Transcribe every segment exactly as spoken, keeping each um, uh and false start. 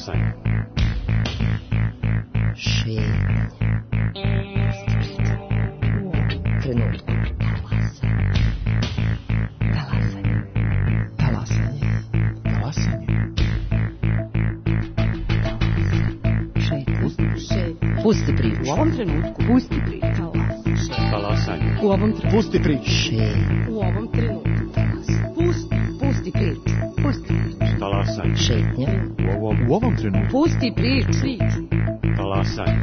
Talasanje. Šetnja. Trenutku. Talasanje. Talasanje. Talasanje. Šetnja. Pusti priču. U ovom trenutku. Pusti priču. Talasanje. U ovom trenutku. Pusti priču. Šetnja. U ovom trenutku. Pusti, pusti priču. Pusti priču. Talasanje. Šetnja. U ovom, u ovom trenutku. Pusti priču. Talasanje.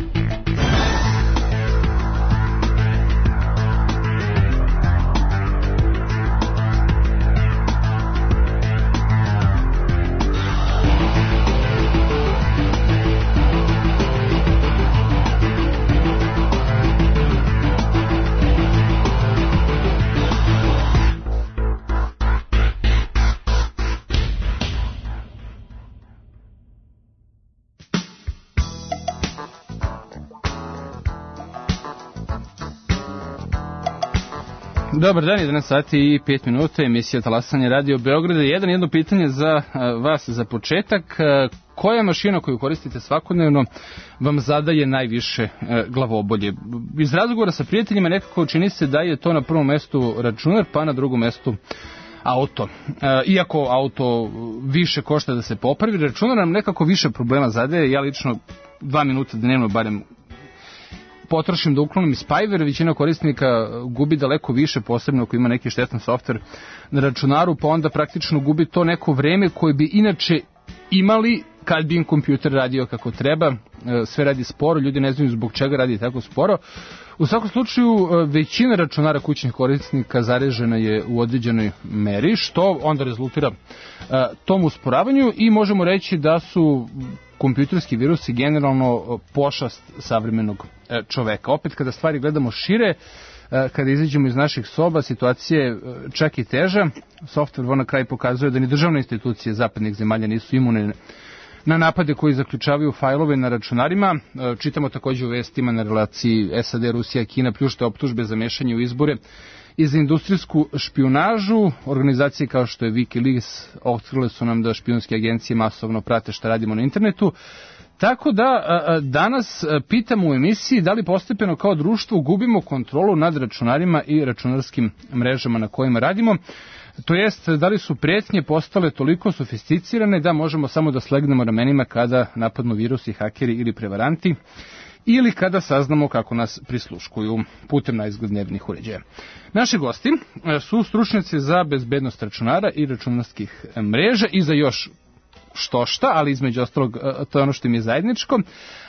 Dobar dan, jedanaest sati i pet minuta, emisija Talasanje Radio Beograda. Jedan jedno pitanje za vas za početak. Koja mašina koju koristite svakodnevno vam zadaje najviše glavobolje? Iz razgovora sa prijateljima nekako čini se da je to na prvom mestu računar, pa na drugom mestu auto. Iako auto više košta da se popravi, računar nam nekako više problema zadaje. Ja lično dva minuta dnevno barem potrošim da uklonim spyware, većina korisnika gubi daleko više, posebno ako ima neki štetan softver na računaru, pa onda praktično gubi to neko vreme koje bi inače imali kad bi im kompjuter radio kako treba. Sve radi sporo, ljudi ne znaju zbog čega radi tako sporo. U svakom slučaju, većina računara kućnih korisnika zarežena je u određenoj meri, što onda rezultira tom usporavanju i možemo reći da su kompjuterski virusi generalno pošast savremenog čoveka. Opet kada stvari gledamo šire, kada izađemo iz naših soba, situacija je čak i teža. Software na kraju pokazuje da ni državne institucije zapadnih zemalja nisu imune na napade koji zaključavaju fajlove na računarima. Čitamo također u vestima na relaciji S A D, Rusija, Kina pljušte optužbe za mešanje u izbore i za industrijsku špijunažu. Organizacije kao što je Wikileaks otkrile su nam da špijunske agencije masovno prate šta radimo na internetu. Tako da danas pitamo u emisiji da li postepeno kao društvo gubimo kontrolu nad računarima i računarskim mrežama na kojima radimo. To jest, da li su pretnje postale toliko sofisticirane da možemo samo da slegnemo ramenima kada napadnu virusi, hakeri ili prevaranti, ili kada saznamo kako nas prisluškuju putem najizglednjevnih uređaja. Naši gosti su stručnjaci za bezbednost računara i računarskih mreža i za još što šta, ali između ostalog to je ono što im je zajedničko,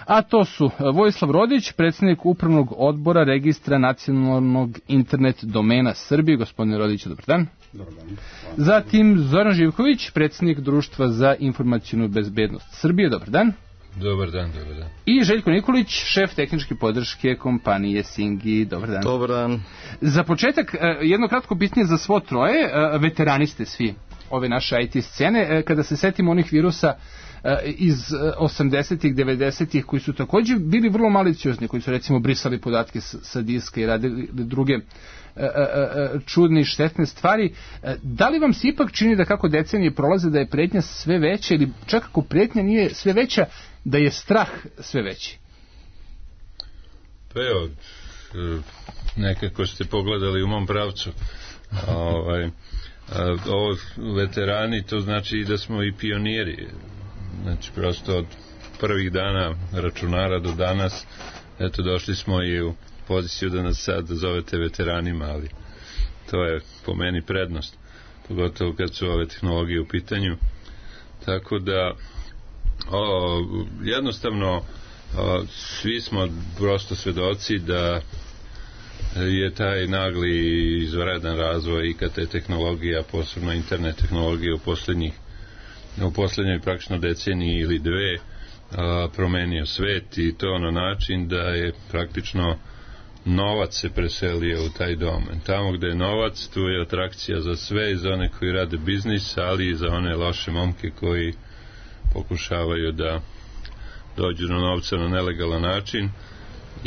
a to su Vojislav Rodić, predsjednik Upravnog odbora Registra nacionalnog internet domena Srbije. Gospodine Rodić, dobar dan. Dobar dan. Zatim Zoran Živković, predsjednik Društva za informacijnu bezbednost Srbije. Dobar dan. Dobar dan, dobar dan. I Željko Nikolić, šef tehničke podrške kompanije Singi. Dobar dan. Dobar dan. Za početak, jedno kratko pitanje za svo troje. Veterani ste svi ove naše I T scene. Kada se setimo onih virusa iz osamdesetih, devedesetih koji su također bili vrlo maliciozni, koji su recimo brisali podatke sa diska i radili druge čudne i štetne stvari. Da li vam se ipak čini da kako decenije prolaze da je pretnja sve veća, ili čak ako pretnja nije sve veća, da je strah sve veći? Pa evo, nekako ste pogledali u mom pravcu. ovaj, ovo veterani, to znači i da smo i pioniri. Znači prosto od prvih dana računara do danas, eto došli smo i u poziciju da nas sad zovete veteranima, ali to je po meni prednost, pogotovo kad su ove tehnologije u pitanju. Tako da o, jednostavno o, svi smo prosto svedoci da je taj nagli i izvanredan razvoj I K T tehnologija, posebno internet tehnologije u poslednjih u poslednjoj praktično deceniji ili dve a, promenio svet, i to na način da je praktično novac se preselio u taj domen. Tamo gde je novac, tu je atrakcija za sve, i za one koji rade biznis, ali i za one loše momke koji pokušavaju da dođu do novca na nelegalan način.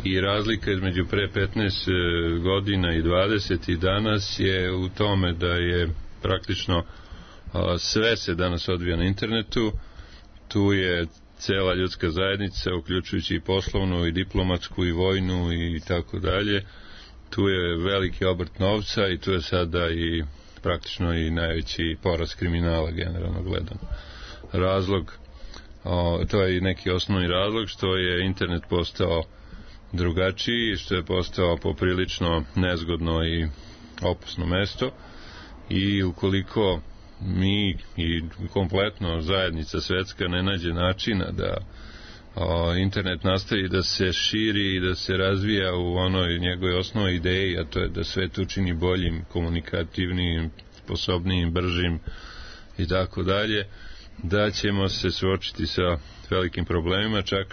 I razlika između pre petnaest godina i dvadeset i danas je u tome da je praktično a, sve se danas odvija na internetu. Tu je cela ljudska zajednica, uključujući i poslovnu, i diplomatsku, i vojnu, i tako dalje. Tu je veliki obrt novca i tu je sada i praktično i najveći porast kriminala, generalno gledano. Razlog, o, to je i neki osnovni razlog, što je internet postao drugačiji, što je postao poprilično nezgodno i opasno mesto, i ukoliko mi i kompletno zajednica svetska ne nađe načina da o, internet nastavi da se širi i da se razvija u onoj njegovoj osnovnoj ideji, a to je da svet učini boljim, komunikativnijim, sposobnijim, bržim i tako dalje, da ćemo se suočiti sa velikim problemima, čak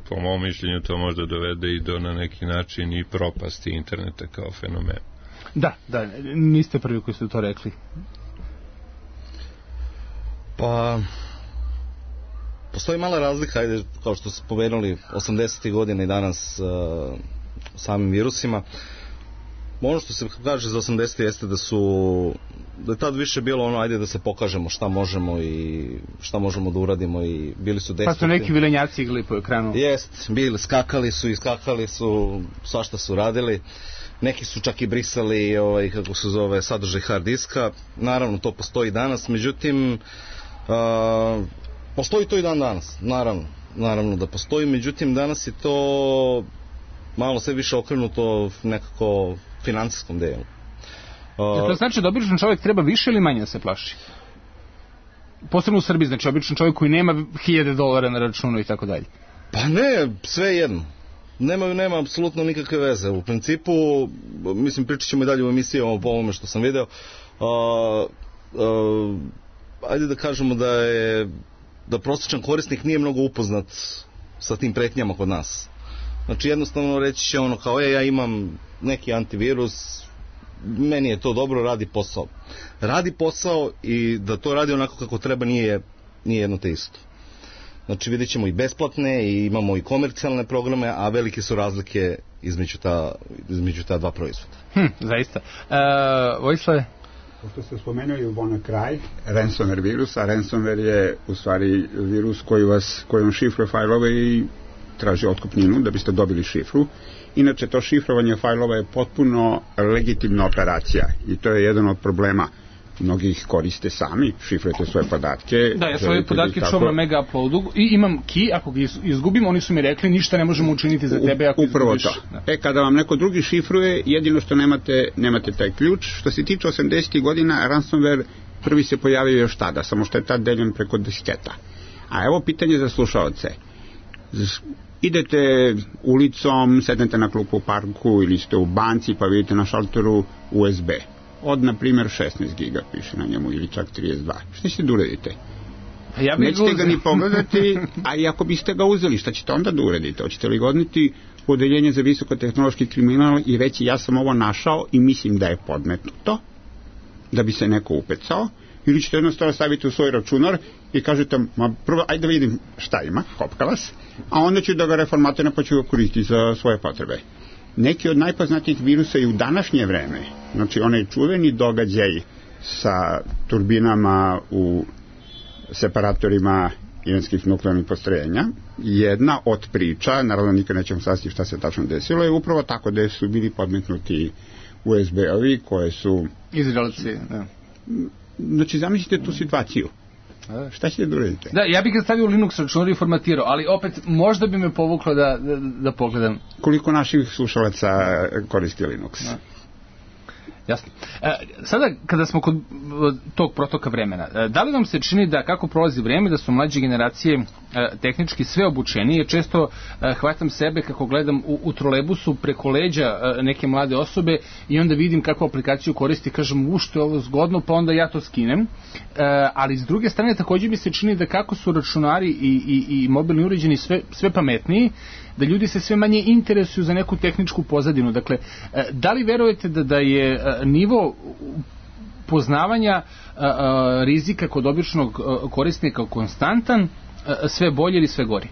po mom mišljenju to možda dovede i do na neki način i propasti interneta kao fenomen. Da, da, niste prvi koji ste to rekli. Pa postoji mala razlika, ajde, kao što ste pomenuli, osamdesetih godina i danas uh, samim virusima. Ono što se kaže za osamdesete jeste da su da je tad više bilo ono, ajde da se pokažemo šta možemo i šta možemo da uradimo, i bili su destruktivni. Pa su neki vilenjaci igrali po ekranu. Jest, bili, skakali su i skakali su, svašta su radili. Neki su čak i brisali, ovaj, kako se zove, sadržaj hard diska. Naravno, to postoji danas, međutim, uh, postoji to i dan danas, naravno, naravno da postoji, međutim, danas je to malo sve više okrenuto nekako finansijskom delu. Uh, to znači da običan čovjek treba više ili manje da se plaši? Posebno u Srbiji, znači običan čovjek koji nema hiljade dolara na računu i tako dalje. Pa ne, sve jedno. Nema, nema apsolutno nikakve veze. U principu, mislim, pričat ćemo i dalje u emisijama po ovome što sam video. Uh, uh, ajde da kažemo da je da prosječan korisnik nije mnogo upoznat sa tim pretnjama kod nas. Znači jednostavno reći će ono kao, e, ja imam neki antivirus, meni je to dobro, radi posao. Radi posao i da to radi onako kako treba nije, nije jedno te isto. Znači vidjet ćemo i besplatne i imamo i komercijalne programe, a velike su razlike između ta, između ta dva proizvoda. Hm, zaista. E, Vojislave? Pošto ste spomenuli u ono kraj ransomware virus, a ransomware je u stvari virus koji vas, koji vam šifruje fajlove i traži otkupninu da biste dobili šifru. Inače, to šifrovanje fajlova je potpuno legitimna operacija i to je jedan od problema. Mnogi ih koriste sami, šifrujete svoje podatke. Da, ja svoje podatke tako čuvam na mega uploadu i imam key, ako ga izgubim, oni su mi rekli ništa ne možemo učiniti za tebe ako upravo izgubiš. To. Da. E, kada vam neko drugi šifruje, jedino što nemate, nemate taj ključ. Što se tiče osamdesetih godina, ransomware prvi se pojavio još tada, samo što je tad deljen preko disketa. A evo pitanje za slušaoce. Idete ulicom, sednete na klupu u parku ili ste u banci pa vidite na šalteru U S B. Od, na primjer, šesnaest giga piše na njemu ili čak trideset dva. Šta ćete da uradite? Ja Nećete ga ni pogledati, a i ako biste ga uzeli, šta ćete onda da uradite? Hoćete li ga odneti u odeljenje za visokotehnološki kriminal i reći ja sam ovo našao i mislim da je podmetnuto, da bi se neko upecao, ili ćete jednostavno staviti u svoj računar i kažete, ma prvo, ajde da vidim šta ima, kopka vas, a onda ću da ga reformatiram pa ću ga koristiti za svoje potrebe. Neki od najpoznatijih virusa i u današnje vreme, znači onaj čuveni događaj sa turbinama u separatorima iranskih nuklearnih postrojenja, jedna od priča, naravno nikad nećemo saznati šta se tačno desilo, je upravo tako da su bili podmetnuti U S B-ovi koje su... Izraelci, da. Znači, zamislite tu situaciju. Šta ćete da uradite? Da, ja bih ga stavio u Linux računar i formatirao, ali opet možda bi me povuklo da, da, da pogledam. Koliko naših slušalaca koristi Linux? Da. Jasno. E, sada, kada smo kod tog protoka vremena, e, da li vam se čini da kako prolazi vreme, da su mlađe generacije e, tehnički sve obučenije? Često e, hvatam sebe kako gledam u, u trolebusu preko leđa e, neke mlade osobe i onda vidim kakvu aplikaciju koristi, kažem, u što je ovo zgodno, pa onda ja to skinem. E, ali s druge strane, također mi se čini da kako su računari i, i, i mobilni uređeni sve, sve pametniji, da ljudi se sve manje interesuju za neku tehničku pozadinu. Dakle, da li verujete da, da je nivo poznavanja rizika kod običnog korisnika konstantan, sve bolje ili sve gori?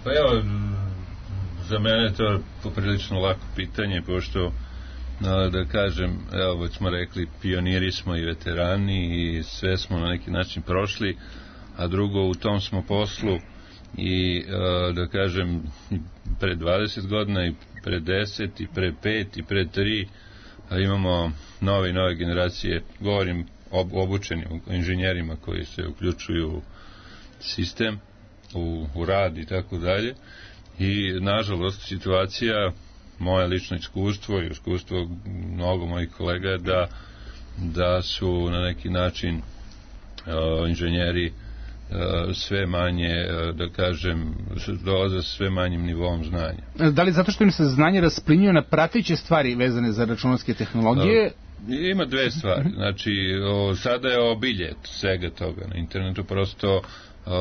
Pa evo, za mene to je poprilično lako pitanje, pošto, da kažem, evo, već smo rekli, pioniri smo i veterani i sve smo na neki način prošli, a drugo, u tom smo poslu i da kažem pre dvadeset godina i pre deset i pre pet i pre tri imamo nove i nove generacije, govorim ob, obučenim inženjerima koji se uključuju u sistem, u, u rad i tako dalje, i nažalost situacija, moje lično iskustvo i iskustvo mnogo mojih kolega je da, da su na neki način uh, inženjeri uh, sve manje, uh, da kažem, dolaze sa sve manjim nivom znanja. Da li zato što im se znanje rasplinjuje na prateće stvari vezane za računarske tehnologije? Uh, ima dve stvari. Znači, o, sada je obilje svega toga na internetu, prosto Uh,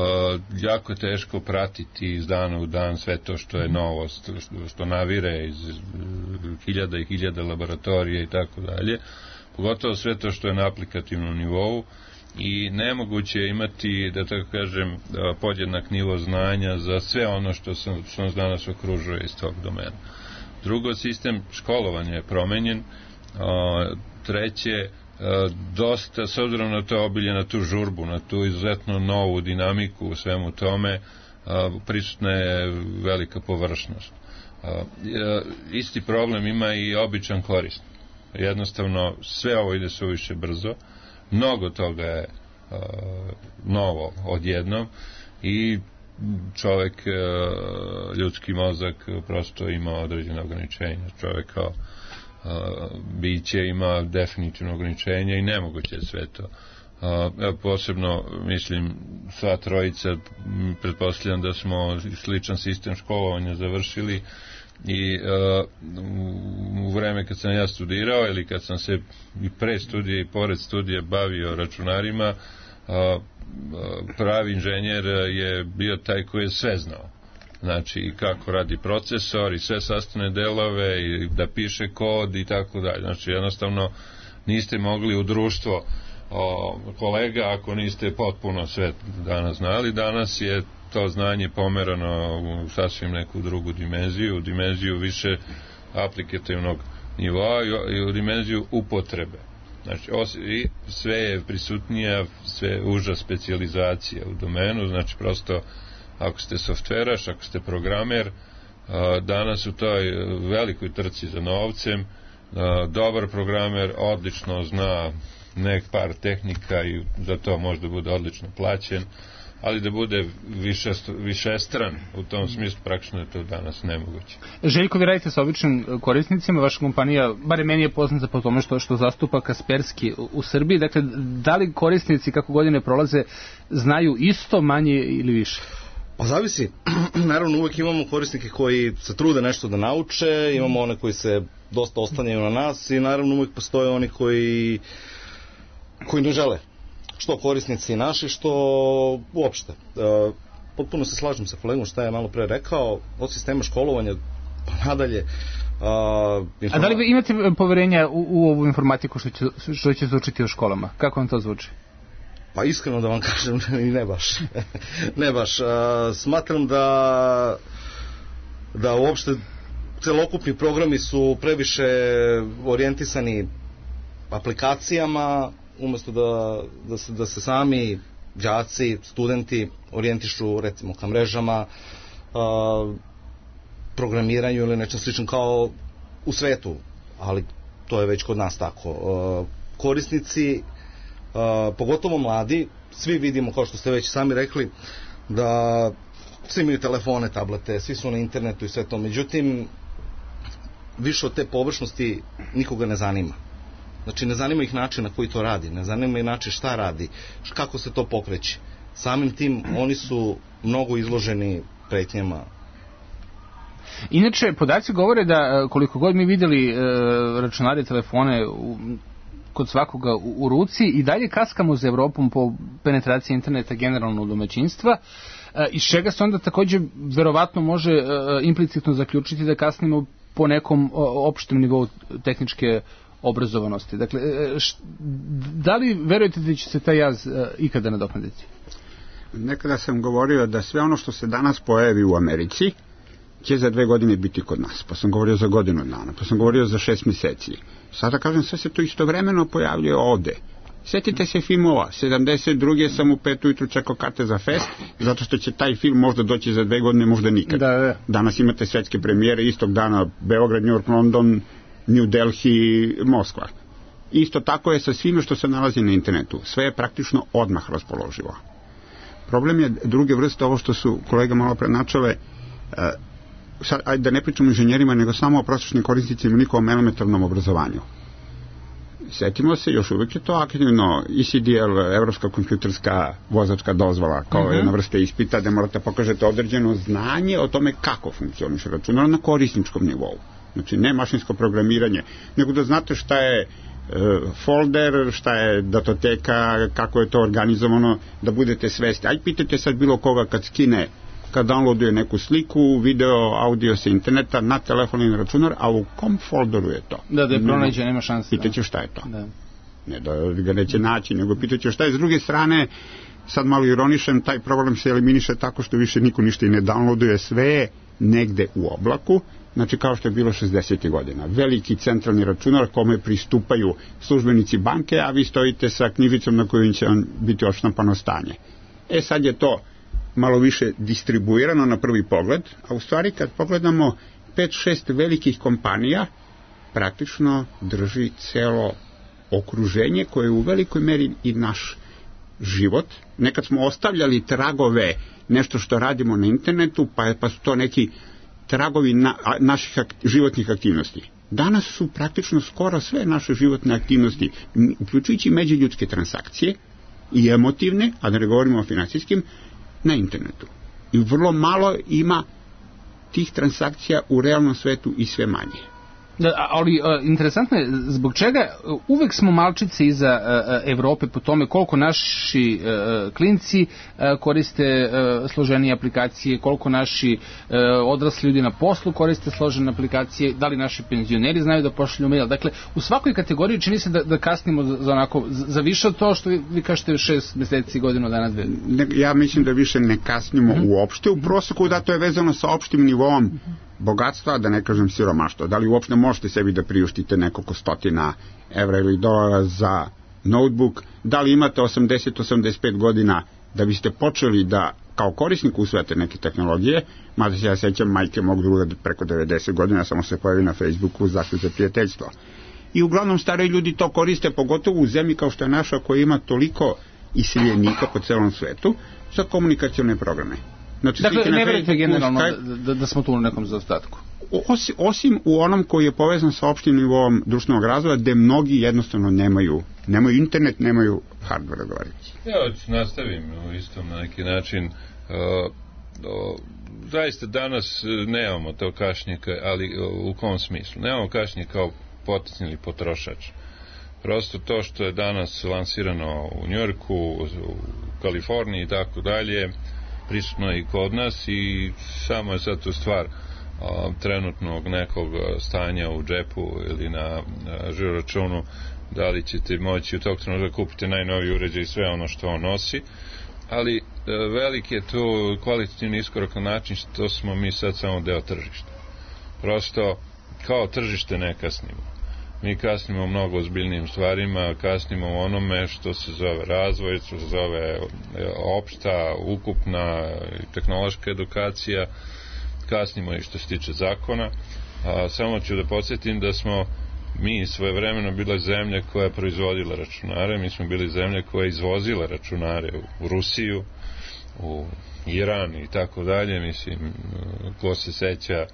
jako je teško pratiti iz dana u dan sve to što je novost, što, što navire iz uh, hiljada i hiljada laboratorija i tako dalje, pogotovo sve to što je na aplikativnom nivou, i nemoguće je imati, da tako kažem, uh, podjednak nivo znanja za sve ono što, sam, što nas danas okružuje iz tog domena. Drugo, sistem školovanja je promenjen. Uh, treće, dosta, s obzirom na to obilje, na tu žurbu, na tu izuzetno novu dinamiku u svemu tome, prisutna je velika površnost. Isti problem ima i običan korisnik. Jednostavno, sve ovo ide suviše brzo, mnogo toga je novo odjednom i čovek, ljudski mozak prosto ima određene ograničenja. Čovek kao Uh, biće ima definitivno ograničenja i nemoguće je sve to. Uh, posebno, mislim, sva trojica, pretpostavljam da smo sličan sistem školovanja završili i uh, u vreme kad sam ja studirao ili kad sam se i pre studije i pored studije bavio računarima, uh, pravi inženjer je bio taj koji je sve znao. Znači, kako radi procesor i sve sastavne delove i da piše kod i tako dalje. Znači, jednostavno niste mogli u društvo o, kolega ako niste potpuno sve danas znali. Danas je to znanje pomerano u sasvim neku drugu dimenziju, u dimenziju više aplikativnog nivoa i u dimenziju upotrebe. Znači, os, i sve je prisutnija, sve uža specijalizacija u domenu, znači prosto ako ste softveraš, ako ste programer, danas u toj velikoj trci za novcem, dobar programer odlično zna nek par tehnika i za to možda bude odlično plaćen, ali da bude višestran, u tom smislu praktično je to danas nemoguće. Željko, vi radite sa običnim korisnicima, vaša kompanija, bare meni je poznata po tome što, što zastupa Kaspersky u, u Srbiji, dakle, da li korisnici kako godine prolaze znaju isto, manje ili više? Pa zavisi. Naravno, uvek imamo korisnike koji se trude nešto da nauče, imamo one koji se dosta oslanjaju na nas i naravno uvek postoje oni koji koji ne žele. Što korisnici naši, što uopšte. E, potpuno se slažem sa kolegom šta je malo pre rekao, od sistema školovanja pa nadalje. A, informa... A da li vi imate poverenja u, u ovu informatiku što će, što će se učiti u školama? Kako vam to zvuči? Pa iskreno da vam kažem, ne baš. ne baš. A, smatram da da uopšte celokupni programi su previše orijentisani aplikacijama, umesto da, da, se, da se sami đaci, studenti orijentišu recimo ka mrežama, a, programiranju ili nečem slično kao u svetu, ali to je već kod nas tako. A, korisnici, a, pogotovo mladi, svi vidimo, kao što ste već sami rekli, da svi imaju telefone, tablete, svi su na internetu i sve to, međutim više od te površnosti nikoga ne zanima. Znači, ne zanima ih način na koji to radi, ne zanima ih način šta radi, kako se to pokreće. Samim tim, oni su mnogo izloženi pretnjama. Inače, podaci govore da koliko god mi vidjeli e, računare, telefone u, kod svakoga u, u ruci, i dalje kaskamo za Evropom po penetraciji interneta generalno u domaćinstva, e, iz čega se onda također verovatno može e, implicitno zaključiti da kasnimo po nekom o, opštem nivou tehničke obrazovanosti. Dakle, š, da li verujete da će se taj jaz uh, ikada nadoknaditi? Nekada sam govorio da sve ono što se danas pojavi u Americi će za dve godine biti kod nas. Pa sam govorio za godinu dana, pa sam govorio za šest mjeseci. Sada kažem, sve se to istovremeno pojavljuje ovde. Sjetite se filmova, sedamdeset druge sam u pet ujutru čekao karte za fest, zato što će taj film možda doći za dve godine, možda nikad. Da, da. Danas imate svetske premijere, istog dana Beograd, New York, London, New Delhi, Moskva. Isto tako je sa svime što se nalazi na internetu. Sve je praktično odmah raspoloživo. Problem je druge vrste, ovo što su kolega malo prenačale, uh, sad, ajde da ne pričamo o inženjerima, nego samo o prosječnim korisnicima, njihovom elementarnom obrazovanju. Setimo se, još uvijek je to aktivno, E C D L, Evropska kompjuterska vozačka dozvola, kao uh-huh. jedna vrsta ispita gde morate pokažete određeno znanje o tome kako funkcioniše računar na korisničkom nivou. Znači, ne mašinsko programiranje, nego da znate šta je folder, šta je datoteka, kako je to organizovano, da budete svesti. Aj pitajte sad bilo koga kad skine, kad downloaduje neku sliku, video, audio sa interneta na telefon i na računar, a u kom folderu je to? Da, da je pronađe, nema šanse. Pitaće šta je to. Da. Ne da ga neće naći, nego pitaće šta je. S druge strane, sad malo ironišem, taj problem se eliminiše tako što više niko ništa i ne downloaduje, sve je negde u oblaku. Znači, kao što je bilo šezdesetih godina. Veliki centralni računar kome pristupaju službenici banke, a vi stojite sa knjižicom na kojoj će vam biti odštampano stanje. E, sad je to malo više distribuirano na prvi pogled, a u stvari kad pogledamo pet šest velikih kompanija, praktično drži celo okruženje koje je u velikoj meri i naš život. Nekad smo ostavljali tragove, nešto što radimo na internetu, pa, pa su to neki tragovi na, a, naših ak, životnih aktivnosti. Danas su praktično skoro sve naše životne aktivnosti, uključujući međuljudske transakcije i emotivne, a da ne govorimo o finansijskim, na internetu. I vrlo malo ima tih transakcija u realnom svetu i sve manje. Da, ali uh, interesantno je zbog čega uh, uvek smo malčice iza uh, Evrope po tome koliko naši uh, klinci uh, koriste uh, složenije aplikacije, koliko naši uh, odrasli ljudi na poslu koriste složene aplikacije, da li naši penzioneri znaju da pošalju mail. Dakle, u svakoj kategoriji čini se da, da kasnimo za, za, onako, za više od to što vi, vi kažete šest meseci, godinu dana, dve. Ne, ja mislim da više ne kasnimo mm-hmm. uopšte. U proseku da to je vezano sa opštim nivom mm-hmm. bogatstva, da ne kažem siromaštva. Da li uopšte možete sebi da priuštite nekoliko stotina evra ili dolara za notebook? Da li imate osamdeset do osamdeset pet godina da biste počeli da kao korisnik usvajate neke tehnologije? Mada se ja sećam majke mog druga preko devedeset godina, samo se pojavi na Facebooku zašto za prijateljstvo. I uglavnom stari ljudi to koriste, pogotovo u zemlji kao što je naša, koja ima toliko iseljenika po celom svetu, za komunikacione programe. Znači, dakle, ne verujete generalno da, da, da smo tu u nekom zaostatku? Osim, osim u onom koji je povezan sa opštim nivom društvenog razvoja, gde mnogi jednostavno nemaju, nemaju internet, nemaju hardware odgovarajući. Ja nastavim u istom na neki način. Uh, uh, zaista danas nemamo to kašnjika, ali uh, u kom smislu? Nemamo kašnjika kao potencijalni potrošač. Prosto to što je danas lansirano u Njujorku, u Kaliforniji i tako dalje, prisutno je i kod nas i samo je sad tu stvar a, trenutnog nekog stanja u džepu ili na žiro računu, da li ćete moći u tog trenutka kupiti najnoviji uređaj i sve ono što on nosi, ali a, veliki je tu kvalitativni iskorak na način što smo mi sad samo deo tržišta. Prosto kao tržište ne kasnimo. Mi kasnimo mnogo ozbiljnijim stvarima, kasnimo u onome što se zove razvoj, što se zove opšta, ukupna tehnološka edukacija, kasnimo i što se tiče zakona. A, samo ću da podsjetim da smo mi svojevremeno bila zemlja koja je proizvodila računare, mi smo bili zemlja koja je izvozila računare u, u Rusiju, u Iran i tako dalje, mislim, ko se seća,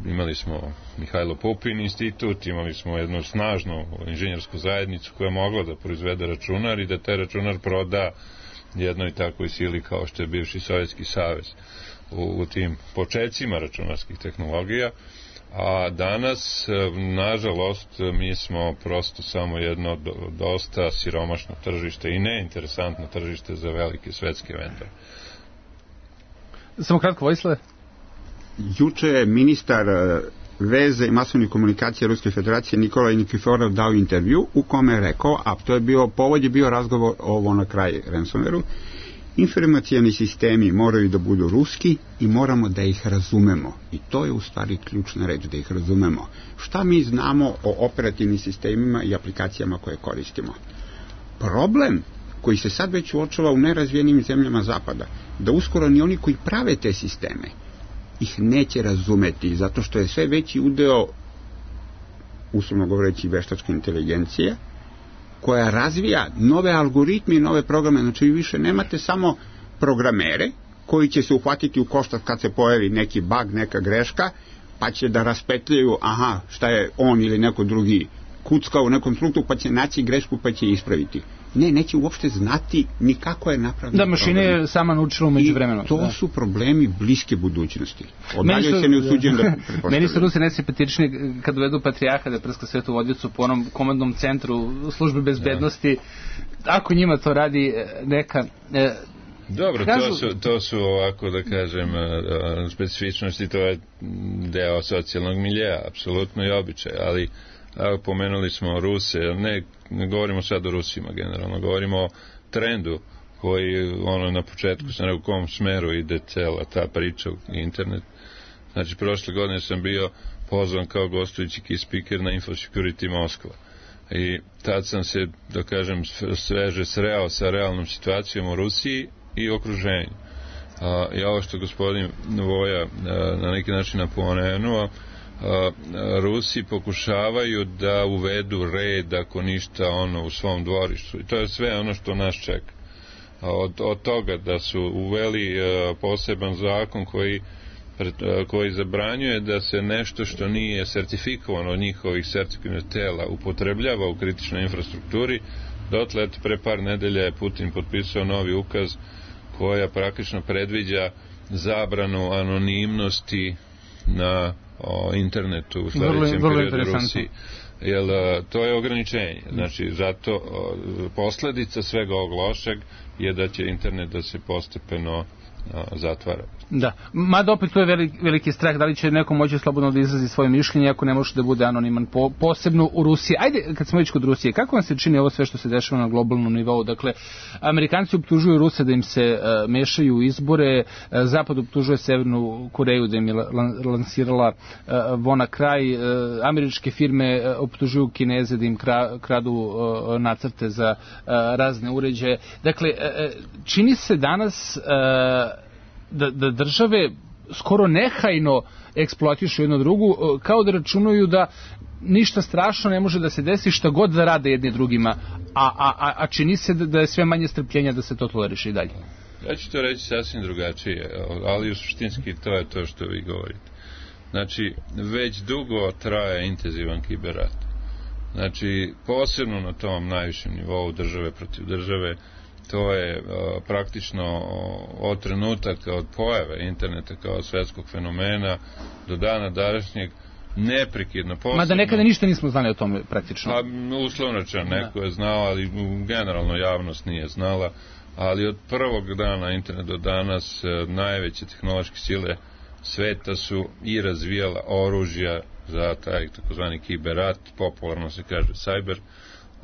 imali smo Mihajlo Pupin institut, imali smo jednu snažnu inženjersku zajednicu koja je mogla da proizvede računar i da taj računar proda jednoj takvoj sili kao što je bivši Sovjetski savez u, u tim počecima računarskih tehnologija. A danas, nažalost, mi smo prosto samo jedno dosta siromašno tržište i neinteresantno tržište za velike svetske vendore. Samo kratko, Vojislave. Juče je ministar veze i masovnih komunikacija Ruske federacije Nikolaj Nikiforov dao intervju u kome je rekao, a to je bio, povod je bio razgovor ovo na kraj ransomwareu, informacijani sistemi moraju da budu ruski i moramo da ih razumemo. I to je u stvari ključna reč, da ih razumemo. Šta mi znamo o operativnim sistemima i aplikacijama koje koristimo? problem koji se sad već uočava u nerazvijenim zemljama zapada, da uskoro ni oni koji prave te sisteme ih neće razumeti, zato što je sve veći udeo, uslovno govoreći, veštačke inteligencije, koja razvija nove algoritme i nove programe. Znači, vi više nemate samo programere koji će se uhvatiti u koštac kad se pojavi neki bug, neka greška, pa će da raspetljaju, aha, šta je on ili neko drugi kuckao u nekom trenutku, pa će naći grešku, pa će ispraviti. Ne, neće uopšte znati ni kako je napravljeno. Da, mašina je sama naučila umeđu vremenu. I to da. su problemi bliske budućnosti. Odalje se ne usuđujem da pretpostavljam. Meni su Rusi najsimpatičniji kad uvedu patrijarha da prska svetu vodicu po onom komandnom centru službe bezbednosti. Da. Ako njima to radi neka... E, Dobro, kažu... to, su, to su ovako, da kažem, specifičnosti, to je deo socijalnog miljeja, apsolutno i običaj, ali evo, pomenuli smo Ruse, ne, ne govorimo sad o Rusima generalno, govorimo o trendu koji, ono, na početku sam rekao u kom smeru ide cela ta priča u internet. Znači, prošle godine sam bio pozvan kao gostujući key speaker na InfoSecurity Moskva. I tad sam se, da kažem, sveže sreo sa realnom situacijom u Rusiji i okruženju. A, I ovo što gospodin Voja a, na neki način napomenuo, Rusi pokušavaju da uvedu red, ako ništa, ono, u svom dvorištu. I to je sve ono što nas čeka. Od, od toga da su uveli a, poseban zakon koji, a, koji zabranjuje da se nešto što nije sertifikovano od njihovih sertifikovanih tela upotrebljava u kritičnoj infrastrukturi, dotle pre par nedelja je Putin potpisao novi ukaz koja praktično predviđa zabranu anonimnosti na o internetu u sledećem periodu Rusiji. Jer to je ograničenje. Znači, zato o, posledica svega ovog lošeg je da će internet da se postepeno a, zatvara. Da, mada opet to je veliki, veliki strah, da li će neko moći slobodno da izrazi svoje mišljenje ako ne može da bude anoniman, po, posebno u Rusiji. Ajde, kad smo već kod Rusije, kako vam se čini ovo sve što se dešava na globalnom nivou? Dakle, Amerikanci optužuju Ruse da im se uh, mešaju u izbore, uh, Zapad optužuje Severnu Koreju da im je lansirala uh, vona kraj, uh, američke firme uh, optužuju Kineze da im kra, kradu uh, nacrte za uh, razne uređaje. Dakle, uh, čini se danas uh, Da, da države skoro nehajno eksploatišu jedno drugu, kao da računaju da ništa strašno ne može da se desi šta god da rade jedni drugima, a, a, a čini se da, da je sve manje strpljenja da se to toleriše i dalje. Ja ću to reći sasvim drugačije, ali u suštinski to je to što vi govorite. Znači, već dugo traje intenzivan kiberrat. Znači, posebno na tom najvišem nivou države protiv države, to je uh, praktično od trenutaka od pojave interneta kao svetskog fenomena do dana današnjeg neprekidno posebno. Mada nekada ništa nismo znali o tome praktično. Pa uslovnočan neko je znao, ali generalno javnost nije znala, ali od prvog dana interneta do danas uh, najveće tehnološke sile sveta su i razvijala oružja za taj takozvani kiberrat, popularno se kaže cyber.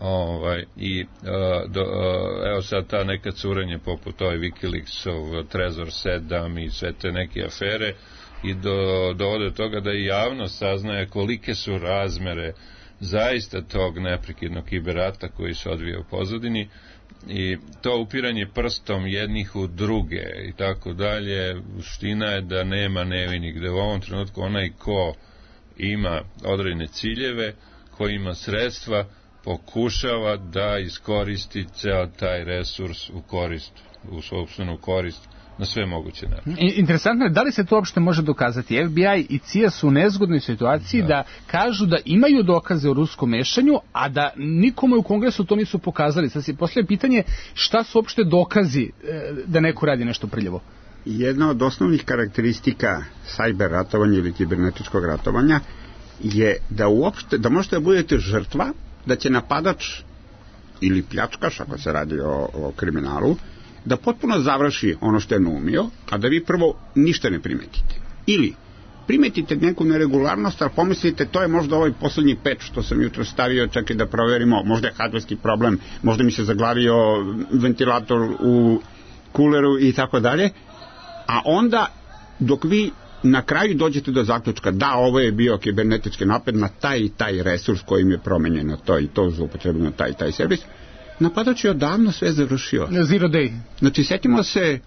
Ovaj, i uh, do, uh, evo sad ta neka curenje poput ovaj Wikileaksov, Trezor sedam i sve te neke afere i do, dovode do toga da i javnost saznaje kolike su razmere zaista tog neprekidnog kiberata koji se odvija u pozadini i to upiranje prstom jednih u druge i tako dalje, suština je da nema nevinih, gde u ovom trenutku onaj ko ima određene ciljeve, ko ima sredstva, pokušava da iskoristi ceo taj resurs u korist, u sopstvenu korist na sve moguće načine. Interesantno je, da li se to uopšte može dokazati? F B I i C I A su u nezgodnoj situaciji da. da kažu da imaju dokaze o ruskom mešanju, a da nikome u Kongresu to nisu pokazali. Sad se postavlja pitanje šta su uopšte dokazi da neko radi nešto prljavo? Jedna od osnovnih karakteristika cyber ratovanja ili kibernetičkog ratovanja je da uopšte, da možete da budete žrtva, da će napadač ili pljačkaš, ako se radi o, o kriminalu, da potpuno završi ono što je naumio, a da vi prvo ništa ne primetite. Ili primetite neku neregularnost, ali pomislite, to je možda ovaj poslednji peč što sam jutro stavio, čekaj da proverimo, možda je hardverski problem, možda mi se zaglavio ventilator u kuleru i tako dalje, a onda dok vi na kraju dođete do zaključka da ovo je bio kibernetički napad na taj i taj resurs kojim je promenjeno to i to zloupotrebljeno taj i taj servis, napadač je odavno sve završio. Zero day. Znači, setimo se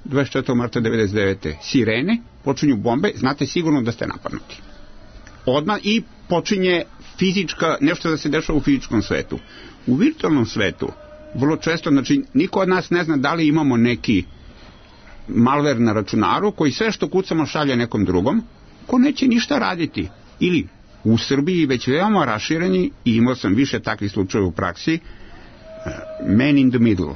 dvadeset četvrtog marta devedeset devete sirene, počinju bombe, znate sigurno da ste napadnuti. Odmah i počinje fizička, nešto da se dešava u fizičkom svetu. U virtualnom svetu, vrlo često, znači, niko od nas ne zna da li imamo neki malver na računaru koji sve što kucamo šalje nekom drugom, ko neće ništa raditi. Ili u Srbiji već veoma rašireni, i imao sam više takvih slučajeva u praksi, man in the middle,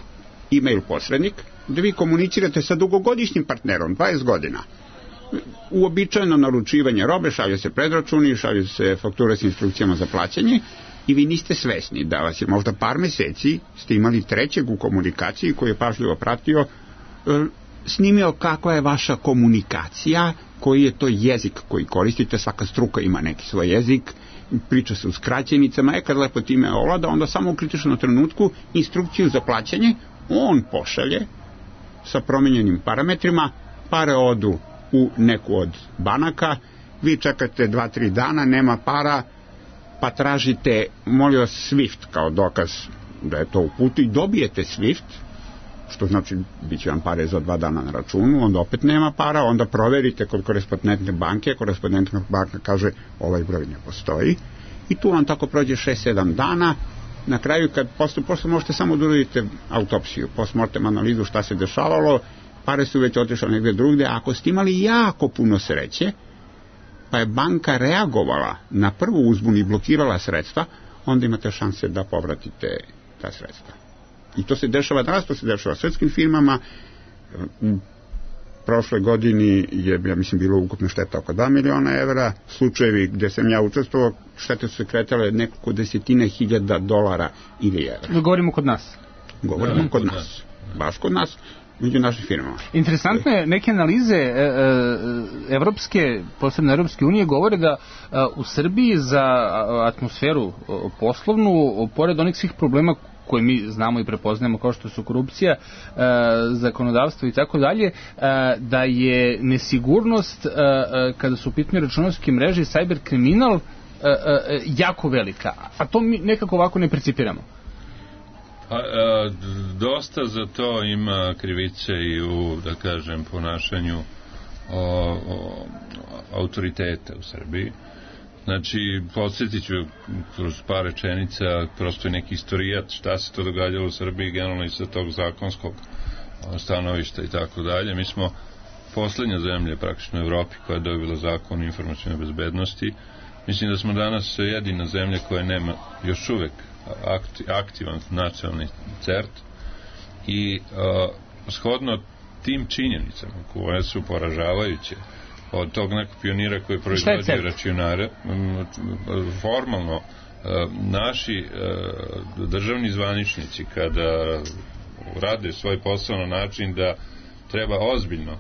email posrednik, da vi komunicirate sa dugogodišnjim partnerom, dvadeset godina. Uobičajeno naručivanje robe, šalje se predračuni, šalje se fakture s instrukcijama za plaćanje i vi niste svesni da vas je možda par meseci ste imali trećeg u komunikaciji koji je pažljivo pratio, snimio kakva je vaša komunikacija, koji je to jezik koji koristite, svaka struka ima neki svoj jezik, priča se u skraćenicama, e kad lepo time ovlada, onda samo u kritičnom trenutku instrukciju za plaćanje on pošalje sa promenjenim parametrima, pare odu u neku od banaka, vi čekate dva tri dana, nema para, pa tražite, molim vas, Swift kao dokaz da je to u putu i dobijete Swift, što znači bit će vam pare za dva dana na računu, onda opet nema para, onda proverite kod korespondentne banke, korespondentna banka kaže ovaj broj ne postoji i tu vam tako prođe šest sedam dana. Na kraju kad posle, posle možete samo da uradite autopsiju, postmortem analizu šta se dešavalo, pare su već otišle negde drugde. Ako ste imali jako puno sreće, pa je banka reagovala na prvu uzbunu i blokirala sredstva, onda imate šanse da povratite ta sredstva. I to se dešava danas, to se dešava svetskim firmama. U prošloj godini je, ja mislim, bilo ukupno šteta oko dva miliona evra. Slučajevi gde sam ja učestvovao, štete su se kretale nekoliko desetine hiljada dolara ili evra. Govorimo kod nas. Govorimo da, kod nas. nas. Baš kod nas, među našim firmama. Interesantno je, neke analize e, e, evropske, posebno Evropske unije, govore da e, u Srbiji za atmosferu poslovnu, pored onih svih problema koje mi znamo i prepoznajemo kao što su korupcija, e, zakonodavstvo i tako dalje, da je nesigurnost e, kada su u pitanju računarske mreže i cyber kriminal e, e, jako velika. A to mi nekako ovako ne percipiramo. A, a, dosta za to ima krivice i u, da kažem, ponašanju o, o, autoriteta u Srbiji. Znači, podsjetit ću kroz par rečenica, prosto je neki istorijat šta se to događalo u Srbiji, generalno i sa tog zakonskog stanovišta i tako dalje. Mi smo poslednja zemlja praktično u Evropi koja je dobila zakon o informacionoj bezbednosti. Mislim da smo danas jedina zemlja koja nema još uvek aktivan nacionalni cert i uh, shodno tim činjenicama koje su poražavajuće od tog nekog pionira koji proizvodio računare, formalno uh, naši uh, državni zvaničnici kada rade svoj posao na način da treba ozbiljno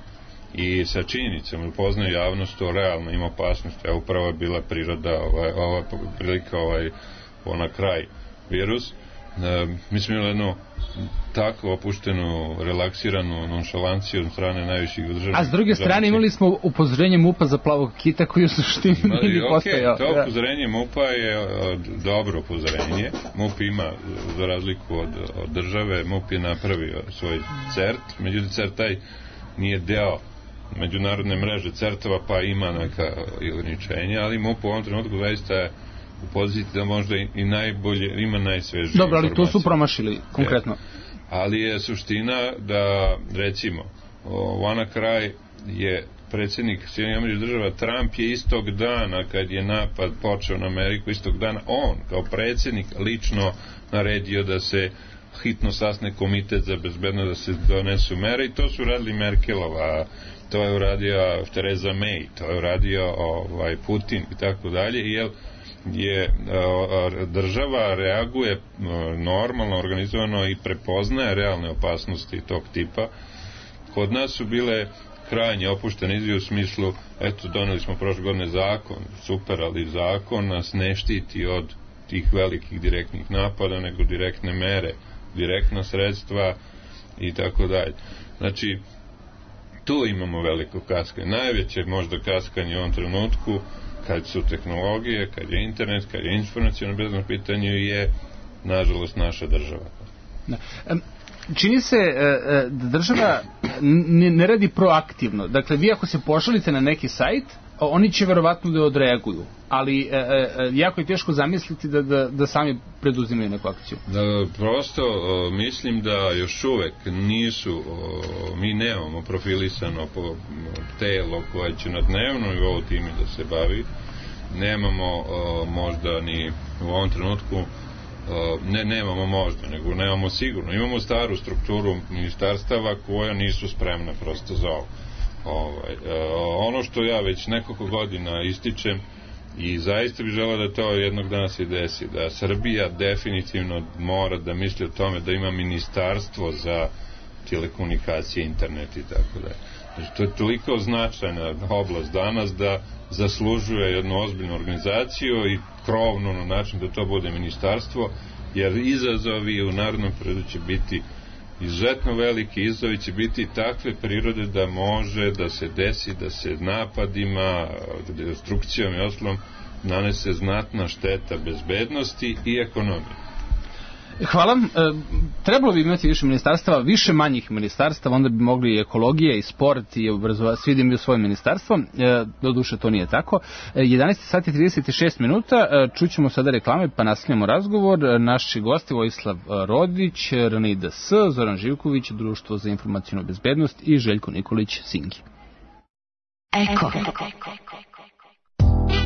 i sa činjenicama upoznaju javnost o realno ima opasnost, a upravo je bila priroda ovaj, ova prilika ovaj, ona kraj virus. E, mi smo imali jednu tako opuštenu, relaksiranu nonšalanciju od strane najviših državnih. A s druge strane imali smo upozorenje MUP-a za plavog kita koji u suštini nije okay, postojao. To upozorenje MUP-a je od, dobro upozorenje. MUP ima, za razliku od, od države, MUP je napravio svoj cert, međutim cert taj nije deo međunarodne mreže certova, pa ima neka ograničenja, ali MUP u ovom trenutku zaista je u poziciji da možda i, i najbolje, ima najsvežije Dobro, ali informacije. to su promašili konkretno. Je. Ali je suština da, recimo, WannaCry je predsjednik Sjedinjenih Američkih Država, Trump je istog dana kad je napad počeo na Ameriku, istog dana on kao predsjednik lično naredio da se hitno sasne komitet za bezbednost, da se donesu mere, i to su radili Merkelova, to je uradio Theresa May, to je uradio ovaj, Putin i tako dalje, i jel je a, država reaguje a, normalno, organizovano i prepoznaje realne opasnosti tog tipa. Kod nas su bile krajnje opuštene izjave u smislu, eto, doneli smo prošle godine zakon, super, ali zakon nas ne štiti od tih velikih direktnih napada, nego direktne mere, direktna sredstva i tako dalje. Znači, tu imamo veliko kaskanje. Najveće možda kaskanje u ovom trenutku, kad su tehnologije, kad je internet, kad je informacijalno bezbedno pitanje, je, nažalost, naša država. Da. Um, Čini se e, da država ne, ne radi proaktivno. Dakle, vi ako se pošalite na neki sajt, oni će verovatno da odreaguju, ali e, e, jako je teško zamisliti da, da, da sami preduzimaju neku akciju. Da, prosto o, mislim da još uvek nisu, o, mi nemamo profilisano po telo koje će na dnevnom nivou time da se bavi, nemamo o, možda ni u ovom trenutku ne, nemamo možda, nego nemamo sigurno. Imamo staru strukturu ministarstava koja nisu spremna prosto za ovo. Ovaj, ono što ja već nekoliko godina ističem i zaista bih želeo da to jednog dana se desi, da Srbija definitivno mora da misli o tome da ima ministarstvo za telekomunikacije, internet i tako dalje. Znači, to je toliko značajna oblast danas da zaslužuje jednu ozbiljnu organizaciju i krovno na način da to bude ministarstvo, jer izazovi u narodnom periodu će biti izuzetno veliki, izazovi će biti takve prirode da može da se desi, da se napadima, destrukcijom i oslom nanese znatna šteta bezbednosti i ekonomije. Hvala. E, trebalo bi imati više ministarstava, više manjih ministarstava, onda bi mogli i ekologija i sport i obrazovanje, svi da imaju svoje ministarstvo. E, doduše to nije tako. E, jedanaest sati i trideset šest minuta, e, čućemo sada reklame pa nastavljamo razgovor. Naši gosti Vojislav Rodić, R N I D S, Zoran Živković, Društvo za informacijnu bezbednost i Željko Nikolić, Singi. Eko.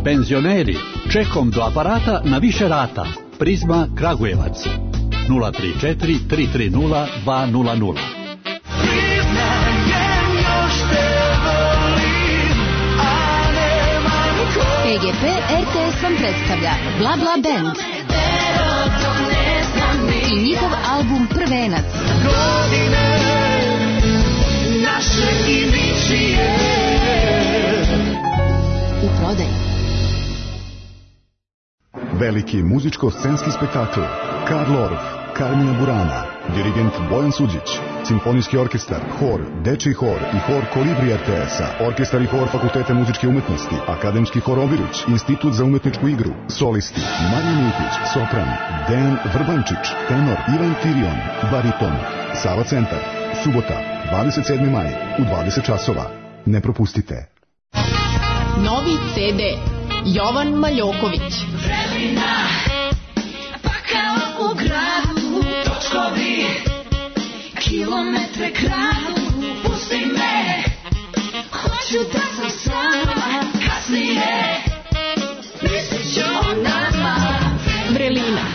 Penzioneri, čekom do aparata na više rata. Prizma Kragujevac nula tri četiri tri tri nula dva nula nula. P G P R T S vam predstavlja Bla Bla Band i njihov album Prvenac. U prodaji. Veliki muzičko-scenski spektakl Karl Orff, Carmina Burana, dirigent Bojan Suđić, simfonijski orkestar, hor, dečiji hor i hor Kolibri R T S-a, orkestar i hor Fakulteta muzičke umetnosti, akademski hor Obiruć, institut za umetničku igru, solisti Marija Milkić, sopran, Dejan Vrbančić, tenor Ivan Tirion, bariton, Sava centar, subota, dvadeset sedmi maj, u dvadeset časova. Ne propustite. Novi C D Jovan Maljoković. Vremena, pa kao u gradu, točkovi, kilometre kradu, pusti me, hoću da sam sama, kasnije, mislit ću o nama. Vrelina,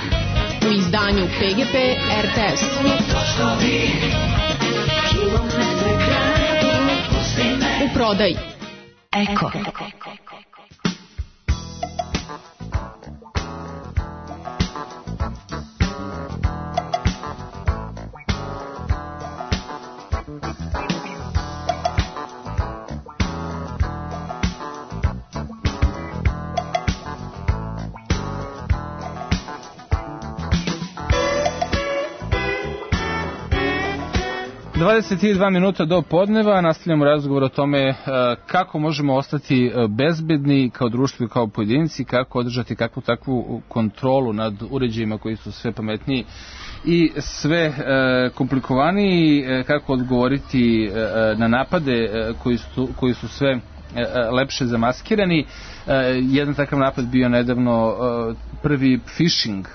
u izdanju P G P R T S. Točkovi, kilometre kradu, pusti me. U prodaji. Eko. dvadeset dva minuta do podneva, nastavljamo razgovor o tome kako možemo ostati bezbedni kao društvo i kao pojedinci, kako održati kakvu takvu kontrolu nad uređajima koji su sve pametniji i sve komplikovaniji, kako odgovoriti na napade koji su, koji su sve lepše zamaskirani. Jedan takav napad bio nedavno prvi phishing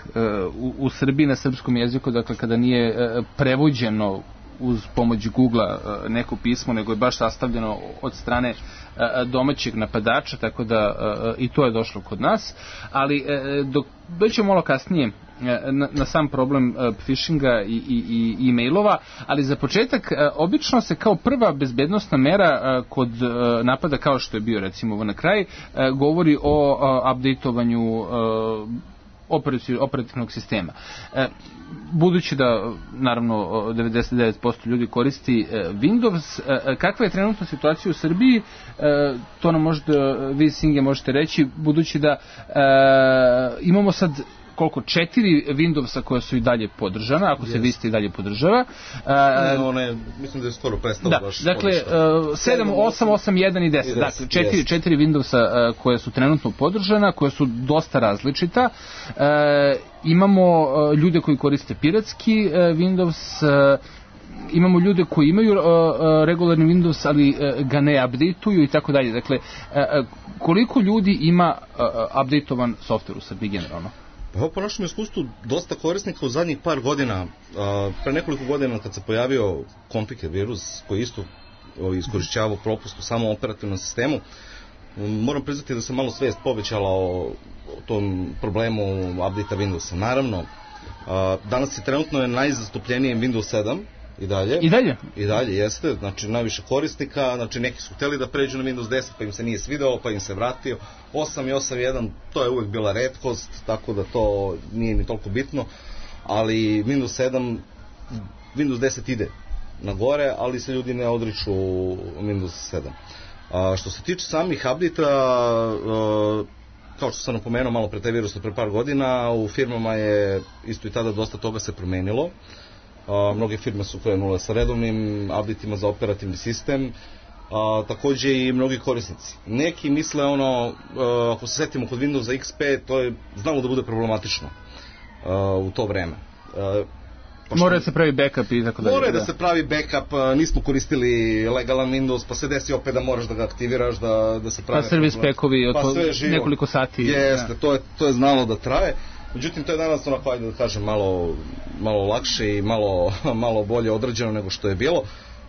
u Srbiji na srpskom jeziku, dakle kada nije prevođeno uz pomoć Google-a neko pismo, nego je baš sastavljeno od strane domaćeg napadača, tako da i to je došlo kod nas. Ali dok doćemo malo kasnije na, na sam problem phishinga i, i, i e-mailova, ali za početak obično se kao prva bezbednostna mera kod napada, kao što je bio recimo na kraj, govori o updateovanju operativnog sistema. E, budući da naravno devedeset devet posto ljudi koristi e, Windows, e, kakva je trenutna situacija u Srbiji, e, to nam možete, vi Singe možete reći, budući da e, imamo sad koliko, četiri Windowsa koja su i dalje podržana, ako yes. se Vista i dalje podržava. Ne, one, mislim da je skoro prestalo da, baš. Dakle, sedam, osam, osam, jedan i deset. Dakle, četiri, četiri Windowsa uh, koje su trenutno podržana, koje su dosta različita. Uh, imamo uh, ljude koji koriste piratski uh, Windows, uh, imamo ljude koji imaju uh, uh, regularni Windows, ali uh, ga ne updateuju i tako dalje. Dakle, uh, koliko ljudi ima uh, updateovan software u Srbiji generalno? Pa po našem iskustvu dosta korisnika u zadnjih par godina, uh, pre nekoliko godina kad se pojavio Compiker virus koji isto uh, iskorišćavao propust u samom operativnom sistemu, um, moram priznati da se malo svest povećala o, o tom problemu update-a Windowsa. Naravno, uh, danas je trenutno je najzastupljenije Windows sedam, I dalje. I dalje? I dalje, jeste. Znači, najviše korisnika, znači neki su hteli da pređu na Windows deset, pa im se nije svidao, pa im se vratio. osam i osam jedan, to je uvek bila retkost, tako da to nije ni toliko bitno. Ali Windows sedam, Windows deset ide na gore, ali se ljudi ne odriču Windows sedam. A, što se tiče samih update-a, kao što sam napomenuo malo pre taj virus pre par godina, u firmama je isto i tada dosta toga se promenilo. Uh, mnoge firme su krenule sa redovnim updateima za operativni sistem, uh, takođe i mnogi korisnici. Neki misle ono, uh, ako se setimo kod Windowsa X P, to je znalo da bude problematično uh, u to vreme. Uh, Mora da se pravi backup i tako dalje. Mora da se pravi backup, nismo koristili legalan Windows, pa se desi opet da moraš da ga aktiviraš, da, da se pravi... Pa servis packovi od pa nekoliko sati. Jeste, to je, to je znalo da traje. Međutim, to je danas onako, ajde da kažem, malo, malo lakše i malo, malo bolje odrađeno nego što je bilo.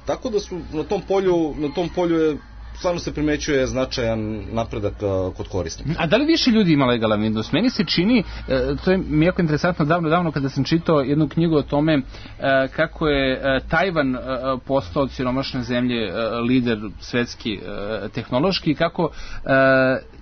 Tako da su na tom polju, na tom polju je, stvarno se primećuje značajan napredak uh, kod korisnika. A da li više ljudi ima legalan Windows? Meni se čini, uh, to je mi jako interesantno, davno, davno kada sam čitao jednu knjigu o tome uh, kako je uh, Tajvan uh, postao od siromašne zemlje uh, lider svetski uh, tehnološki, kako uh,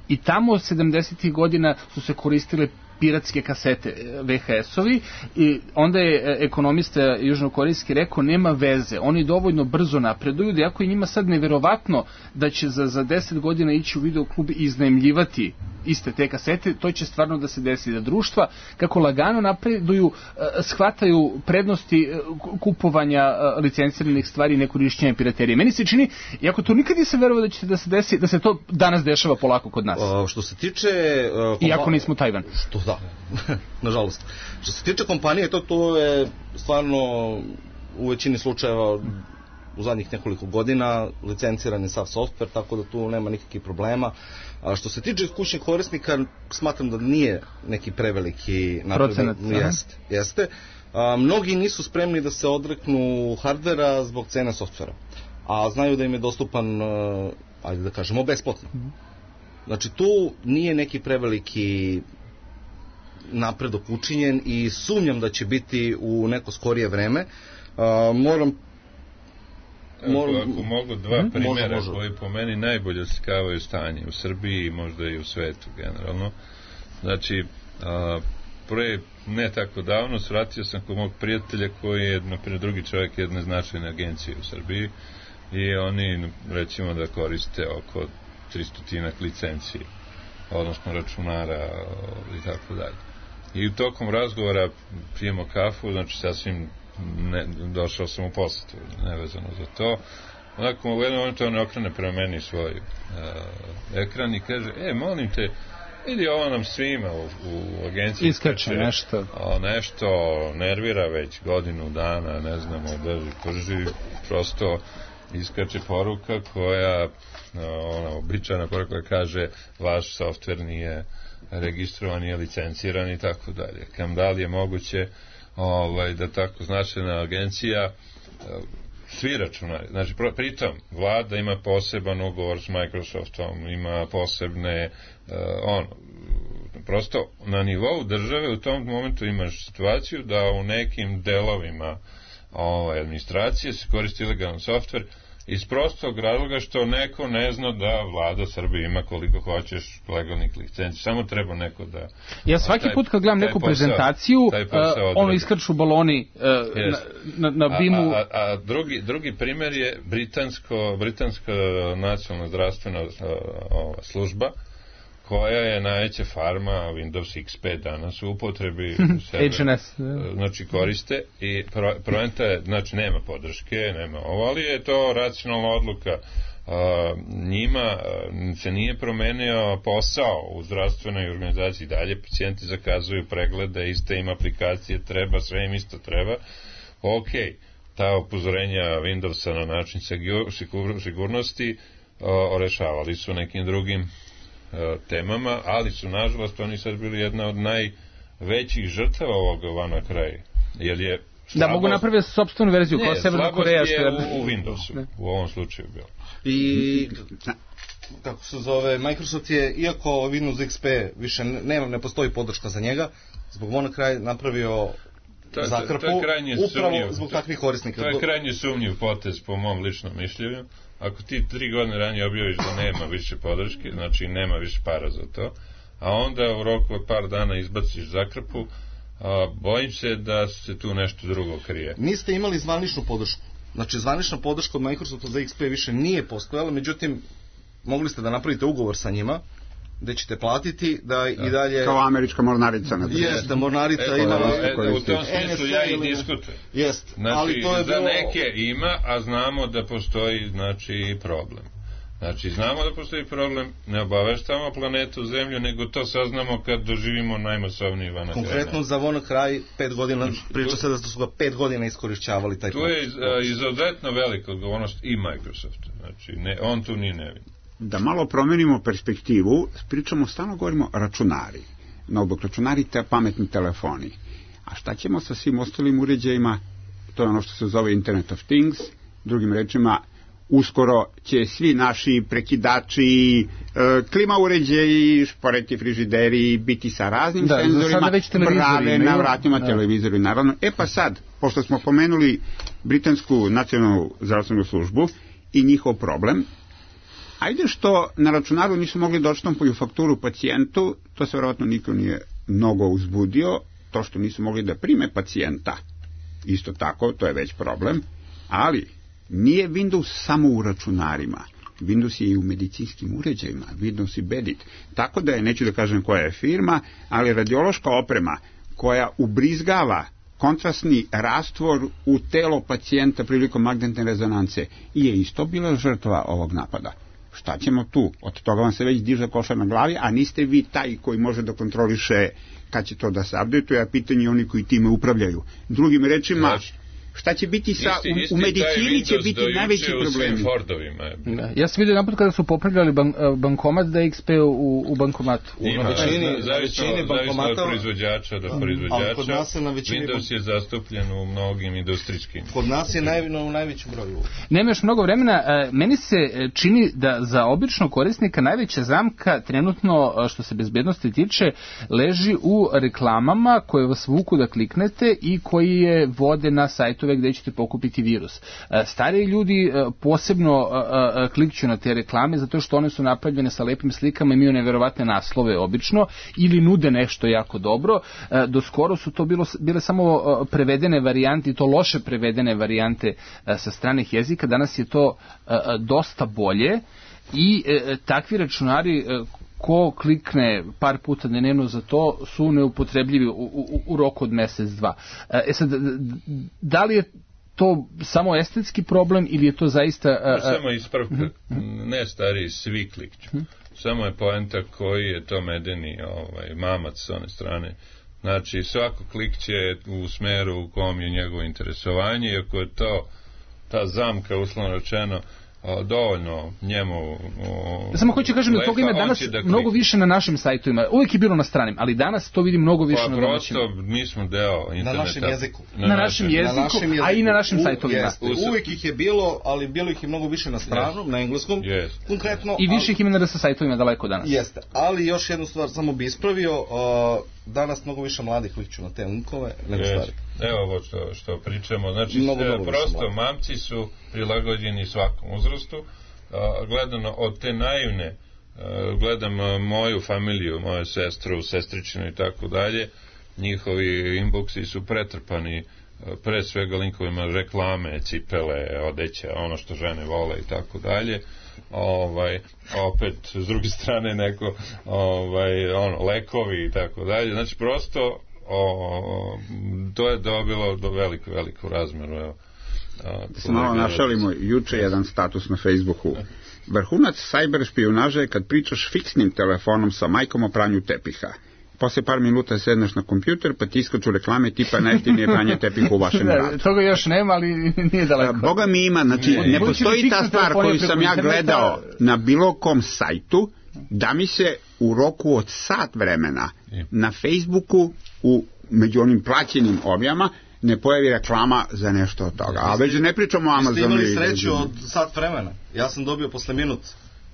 i tamo sedamdesetih godina su se koristile piratske kasete, V H S-ovi, i onda je ekonomista južnokorejski rekao nema veze, oni dovoljno brzo napreduju da jako je njima sad neverovatno da će za, za deset godina ići u videoklub i iznajmljivati iste te kasete, to će stvarno da se desi, da društva kako lagano napreduju, shvataju prednosti kupovanja licenciranih stvari i nekorišćenja piraterije. Meni se čini, iako to nikad nisam verovao da će da se desi, da se to danas dešava polako kod nas. Uh, što se tiče... Uh, iako nismo Tajvan. Što da, nažalost. Što se tiče kompanije, to, to je stvarno u većini slučajeva u zadnjih nekoliko godina licenciran je sav softver, tako da tu nema nikakvih problema. A što se tiče kućnih korisnika, smatram da nije neki preveliki napredak. Jeste, jeste. A, mnogi nisu spremni da se odreknu hardvera zbog cene softvera, a znaju da im je dostupan, ajde da kažemo, besplatno. Znači tu nije neki preveliki napredak učinjen i sumnjam da će biti u neko skorije vreme. A, moram Moram... Ako mogu dva hmm? primjera može, može. koji po meni najbolje oslikavaju stanje u Srbiji i možda i u svetu generalno. Znači, a, pre ne tako davno svratio sam kod mog prijatelja koji je naprijed drugi čovjek jedne značajne agencije u Srbiji i oni recimo da koriste oko tristotinak licencije, odnosno računara i tako dalje. I u tokom razgovora pijemo kafu, znači sasvim ne, došao sam u posjetu, nevezano za to. Onako u jednom momentu on okrene prema meni svoj uh, ekran i kaže, e, molim te, vidi, ovo nam svima u, u agenciji iskače nešto. O, nešto nervira već godinu dana, ne znamo, drži, prži, prosto iskače poruka koja, ona običajna poruka koja kaže, vaš softver nije registrovan, nije licenciran i tako dalje. Kam da li je moguće ovaj, da tako značajna agencija svi računari, znači pritom vlada ima poseban ugovor s Microsoftom, ima posebne uh, ono, prosto na nivou države u tom momentu imaš situaciju da u nekim delovima ovaj, administracije se koristi ilegalan softver iz prostog razloga što neko ne zna da vlada Srbije ima koliko hoćeš legalnih licenci. Samo treba neko da... Ja svaki taj, put kad gledam neku posao, prezentaciju, uh, ono iskrču baloni uh, yes. na, na, na bimu... A, a, a drugi, drugi primjer je britansko, britanska nacionalna zdravstvena uh, ova, služba koja je najveća farma Windows X P danas u upotrebi H N S znači koriste i pro, proenta je, znači nema podrške, nema ovo, ali je to racionalna odluka njima se nije promenio posao u zdravstvenoj organizaciji, dalje pacijenti zakazuju preglede, iste im aplikacije treba, sve im isto treba, ok, ta upozorenja Windowsa na način sigurnosti rešavali su nekim drugim temama, ali su nažalost oni sad bili jedna od najvećih žrtava ovog WannaCry, jer je slabost, da mogu napraviti sopstvenu verziju, kao Severna Koreja. Ne, slabost je u, u Windowsu, ne. U ovom slučaju bilo. I kako se zove, Microsoft je, iako Windows X P više nema, ne postoji podrška za njega, zbog WannaCry napravio to, zakrpu, to, to upravo sumnjiv, zbog takvih korisnika. To je krajnje sumnjiv potez po mom ličnom mišljenju. Ako ti tri godine ranije objaviš da nema više podrške, znači nema više para za to, a onda u roku od par dana izbaciš zakrpu, a, bojim se da se tu nešto drugo krije. Niste imali zvaničnu podršku. Znači, zvanična podrška od Microsofta za X P više nije postojala, međutim, mogli ste da napravite ugovor sa njima, gde ćete platiti da, da. i dalje... Kao američka mornarica. Jeste, mornarica e, ima... E, u tom smislu ja i diskutujem. Jeste, znači, ali to je za bilo... neke ima, a znamo da postoji, znači, problem. Znači, znamo da postoji problem, ne obaveštamo planetu Zemlju, nego to saznamo kad doživimo najmasovniji WannaCry. Konkretno za WannaCry pet godina, priča se da su ga pet godina iskorišćavali taj tu je iz, izuzetno velika odgovornost i Microsofta. Znači, ne, on tu nije nevin. Da malo promenimo perspektivu, pričamo, stalno govorimo računari. Notebook računari, te pametni telefoni. A šta ćemo sa svim ostalim uređajima? To je ono što se zove Internet of Things. Drugim rečima, uskoro će svi naši prekidači, e, klima uređaji, šporeti, frižideri biti sa raznim da, senzorima, brave na vratima, da. televizori, naravno. E pa sad, pošto smo pomenuli Britansku nacionalnu zdravstvenu službu i njihov problem, ajde što na računaru nisu mogli da odštampaju fakturu pacijentu, to se vjerojatno niko nije mnogo uzbudio, to što nisu mogli da prime pacijenta, isto tako, to je već problem, ali nije Windows samo u računarima, Windows je i u medicinskim uređajima, Windows i Bedit, tako da je, neću da kažem koja je firma, ali radiološka oprema koja ubrizgava kontrastni rastvor u telo pacijenta prilikom magnetne rezonance je isto bila žrtva ovog napada. Šta ćemo tu? Od toga vam se već diže košar na glavi, a niste vi taj koji može da kontroliše kad će to da se updatuje, a pitanje oni koji time upravljaju. Drugim rečima, znači, šta će biti sa, isti, isti u, u medicini će biti najveći problemi. Da. Ja sam vidio napad kada su popravljali ban, bankomat da je X P u, u bankomatu. Ima, na većini, na većini bankomata od proizvođača do proizvođača. Kod nas je na većini Windows je zastupljen u mnogim industrijskim. Kod nas je naj, u najvećem broju. Nema još mnogo vremena. Meni se čini da za običnog korisnika najveća zamka trenutno što se bezbednosti tiče leži u reklamama koje vas vuku da kliknete i koji je vode na sajtu gde ćete pokupiti virus. Stariji ljudi posebno klikću na te reklame zato što one su napravljene sa lepim slikama, imaju neverovatne naslove obično ili nude nešto jako dobro. Do skoro su to bilo, bile samo prevedene varijante i to loše prevedene varijante sa stranih jezika. Danas je to dosta bolje i takvi računari ko klikne par puta dnevno za to su neupotrebljivi u, u, u roku od mesec, dva. E sad, da li je to samo estetski problem ili je to zaista... A, samo ispravka, uh-huh. ne stari, svi klikću. Uh-huh. Samo je poenta koji je to medeni ovaj, mamac s one strane. Znači, svako klik će u smeru u kom je njegovo interesovanje i ako je to ta zamka, uslovno rečeno, O, dovoljno njemu o, samo hoću kažem da toga ima danas da mnogo više na našim sajtovima, uvijek je bilo na stranim, ali danas to vidim mnogo više pa, na domaćim. Pa prosto mi smo deo interneta. Na našem jeziku. Na, na, našem, jeziku, na našem jeziku, a i na našim u, sajtovima. Jeste, uvijek ih je bilo, ali bilo ih je mnogo više na stranom, yes. na engleskom. Yes. Konkretno. I više ih ima na sa sajtovima daleko danas. Jeste, ali još jednu stvar samo bi ispravio, uh, danas mnogo više mladih klikću na te linkove nego yes. stari. Evo ovo što, što pričamo, znači sve, prosto mamci su prilagođeni svakom uzrastu. Uh, gledano od te naivne, uh, gledam uh, moju familiju, moju sestru, sestričinu i tako dalje, njihovi inboxi su pretrpani uh, pre svega linkovima reklame, cipele, odeća, ono što žene vole i tako dalje. Ovaj, opet s druge strane neko ovaj, ono, lekovi i tako dalje, znači prosto o, to je dobilo do veliku, veliku razmeru, evo. Da se malo našalimo, juče jedan status na Facebooku. Vrhunac sajber špijunaže je kad pričaš fiksnim telefonom sa majkom o pranju tepiha. Posle par minuta sedneš na kompjuter, pa ti iskaču reklame tipa najjeftinije pranje tepiha u vašem gradu. Toga još nema, ali nije daleko. Boga mi ima, znači ne postoji ta stvar koju sam ja gledao na bilo kom sajtu, da mi se u roku od sat vremena na Facebooku u među onim plaćenim objavama ne pojavi reklama za nešto od toga. A već ne pričamo o Amazonu. Vi ste imali sreću od sat vremena. Ja sam dobio posle minut.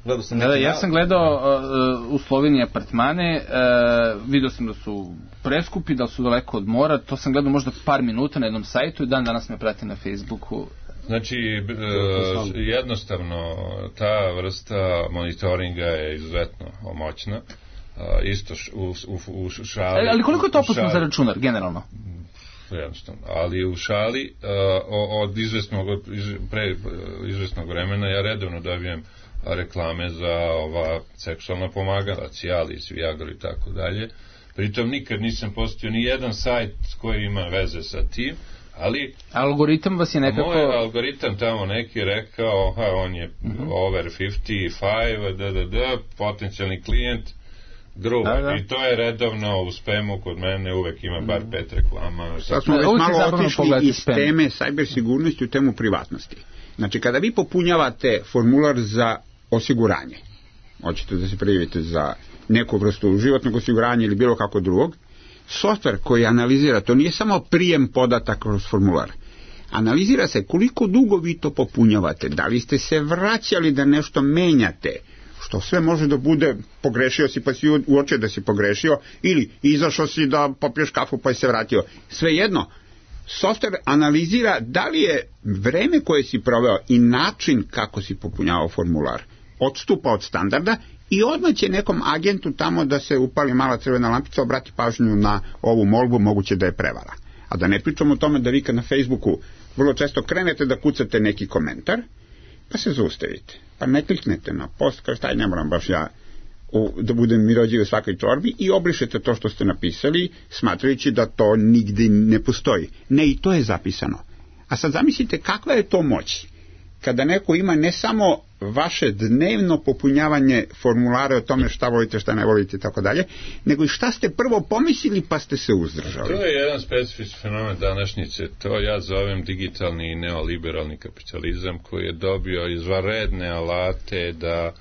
Gledao sam da, da, ja sam gledao uh, u Sloveniji apartmane, uh, vidio sam da su preskupi, da su daleko od mora, to sam gledao možda par minuta na jednom sajtu i dan danas me prati na Facebooku. Znači, uh, jednostavno, ta vrsta monitoringa je izuzetno moćna. Uh, isto š, u, u, u šali... Ali koliko je to opasno za računar, generalno? Jednostavno, ali u šali uh, od izvesnog, iz, pre izvesnog vremena ja redovno dobijem reklame za ova seksualna pomagala, Cialis, Viagra i tako dalje. Pritom nikad nisam postio ni jedan sajt koji ima veze sa tim, ali... Algoritam vas je nekako... Moj algoritam tamo neki rekao, ha, on je uh-huh. over pedeset pet, da, da, da, potencijalni klijent, gruba. Da, da. I to je redovno u spemu kod mene, uvek ima bar pet reklama. Sad smo već malo otišli iz spam. Teme sajber sigurnosti u temu privatnosti. Znači, kada vi popunjavate formular za osiguranje, hoćete da se prijavite za neku vrstu životnog osiguranja ili bilo kako drugog, softver koji analizira, to nije samo prijem podataka kroz formular, analizira se koliko dugo vi to popunjavate, da li ste se vraćali da nešto menjate, što sve može da bude pogrešio si pa si uočio da si pogrešio, ili izašao si da popiješ kafu pa si se vratio, svejedno. Softver analizira da li je vreme koje si proveo i način kako si popunjavao formular odstupa od standarda i odmah će nekom agentu tamo da se upali mala crvena lampica, obrati pažnju na ovu molbu, moguće da je prevara. A da ne pričamo o tome da vi kad na Facebooku vrlo često krenete da kucate neki komentar, pa se zaustavite, pa ne kliknete na post, kao šta ne moram baš ja u, da budem mirođiv u svakoj čorbi i obrišete to što ste napisali, smatrajući da to nigde ne postoji. Ne, i to je zapisano. A sad zamislite kakva je to moć kada neko ima ne samo vaše dnevno popunjavanje formulara o tome šta volite, šta ne volite i tako dalje, nego i šta ste prvo pomislili pa ste se uzdržali. To je jedan specifični fenomen današnjice, to ja zovem digitalni i neoliberalni kapitalizam koji je dobio izvanredne alate da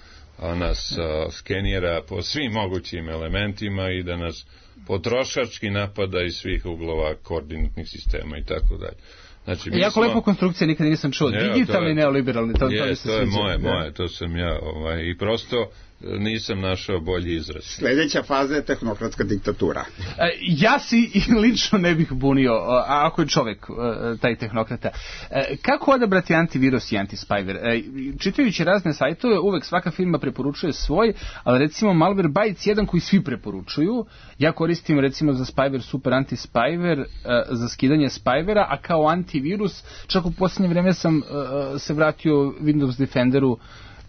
nas a, skenira po svim mogućim elementima i da nas potrošački napada iz svih uglova koordinatnih sistema i tako dalje. Znači, jako smo... lepo konstrukcija, nikad nisam čuo. Je, digitalni i neoliberalni, to, je, to, to je moje, moje, to sam ja, ovaj, i prosto nisam našao bolji izraz. Sljedeća faza je tehnokratska diktatura. E, ja si lično ne bih bunio, a ako je čovjek taj tehnokrata. E, kako odabrati antivirus i antispyware? E, čitajući razne sajtove, uvek svaka firma preporučuje svoj, ali recimo Malwarebytes jedan koji svi preporučuju. Ja koristim recimo za spyware Super Anti-Spyware, za skidanje spywera, a kao antivirus, čak u posljednje vreme sam se vratio Windows Defenderu,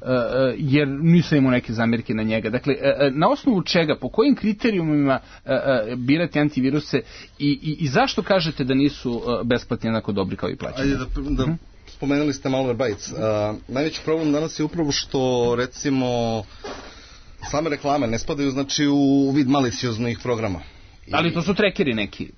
Uh, jer nisam imao neke zamjerke na njega. Dakle, uh, na osnovu čega, po kojim kriterijumima uh, uh, birati antiviruse i, i, i zašto kažete da nisu uh, besplatni jednako dobri kao i plaćeni? Ajde da, da uh-huh. spomenuli ste Malwarebytes. Uh, najveći problem danas je upravo što, recimo, same reklame ne spadaju, znači, u vid malicioznih programa. I... Ali to su trekeri neki.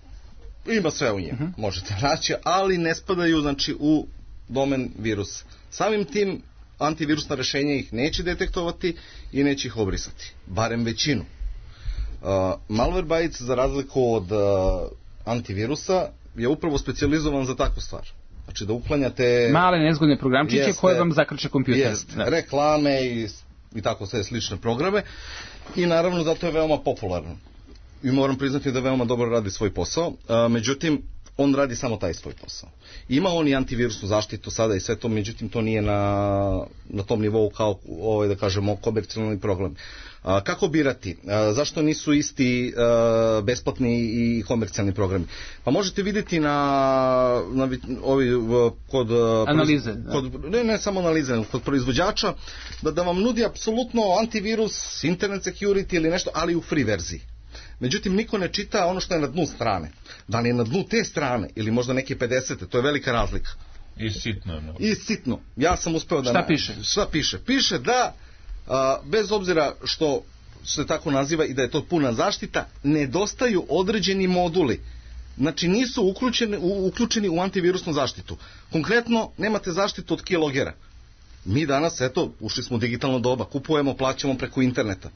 Ima sve u njima, uh-huh. možete naći, ali ne spadaju, znači, u domen virusa. Samim tim antivirusna rešenja ih neće detektovati i neće ih obrisati. Barem većinu. Uh, Malwarebytes, za razliku od uh, antivirusa, je upravo specijalizovan za takvu stvar. Znači da uklanjate... male nezgodne programčiće jeste, koje vam zakrče kompjuter. Jeste, reklame i, i tako sve slične programe. I naravno zato je veoma popularan. I moram priznati da veoma dobro radi svoj posao. Uh, međutim, on radi samo taj svoj posao. Ima on i antivirusnu zaštitu sada i sve to, međutim to nije na, na tom nivou kao, ovaj, da kažemo, komercijalni program. A, kako birati? A, zašto nisu isti a, besplatni i komercijalni programi? Pa možete vidjeti na, na ovi, kod analize. Kod, ne, ne samo analize, kod proizvođača, da, da vam nudi apsolutno antivirus, internet security ili nešto, ali u free verziji. Međutim, niko ne čita ono što je na dnu strane. Da li je na dnu te strane ili možda neke pedesete, to je velika razlika. I sitno. No. I sitno. Ja sam uspeo da... Šta piše? Šta piše? Piše da, a, bez obzira što se tako naziva i da je to puna zaštita, nedostaju određeni moduli. Znači nisu uključeni, u, uključeni u antivirusnu zaštitu. Konkretno, nemate zaštitu od keylogera. Mi danas, eto, ušli smo u digitalno doba, kupujemo, plaćamo preko interneta.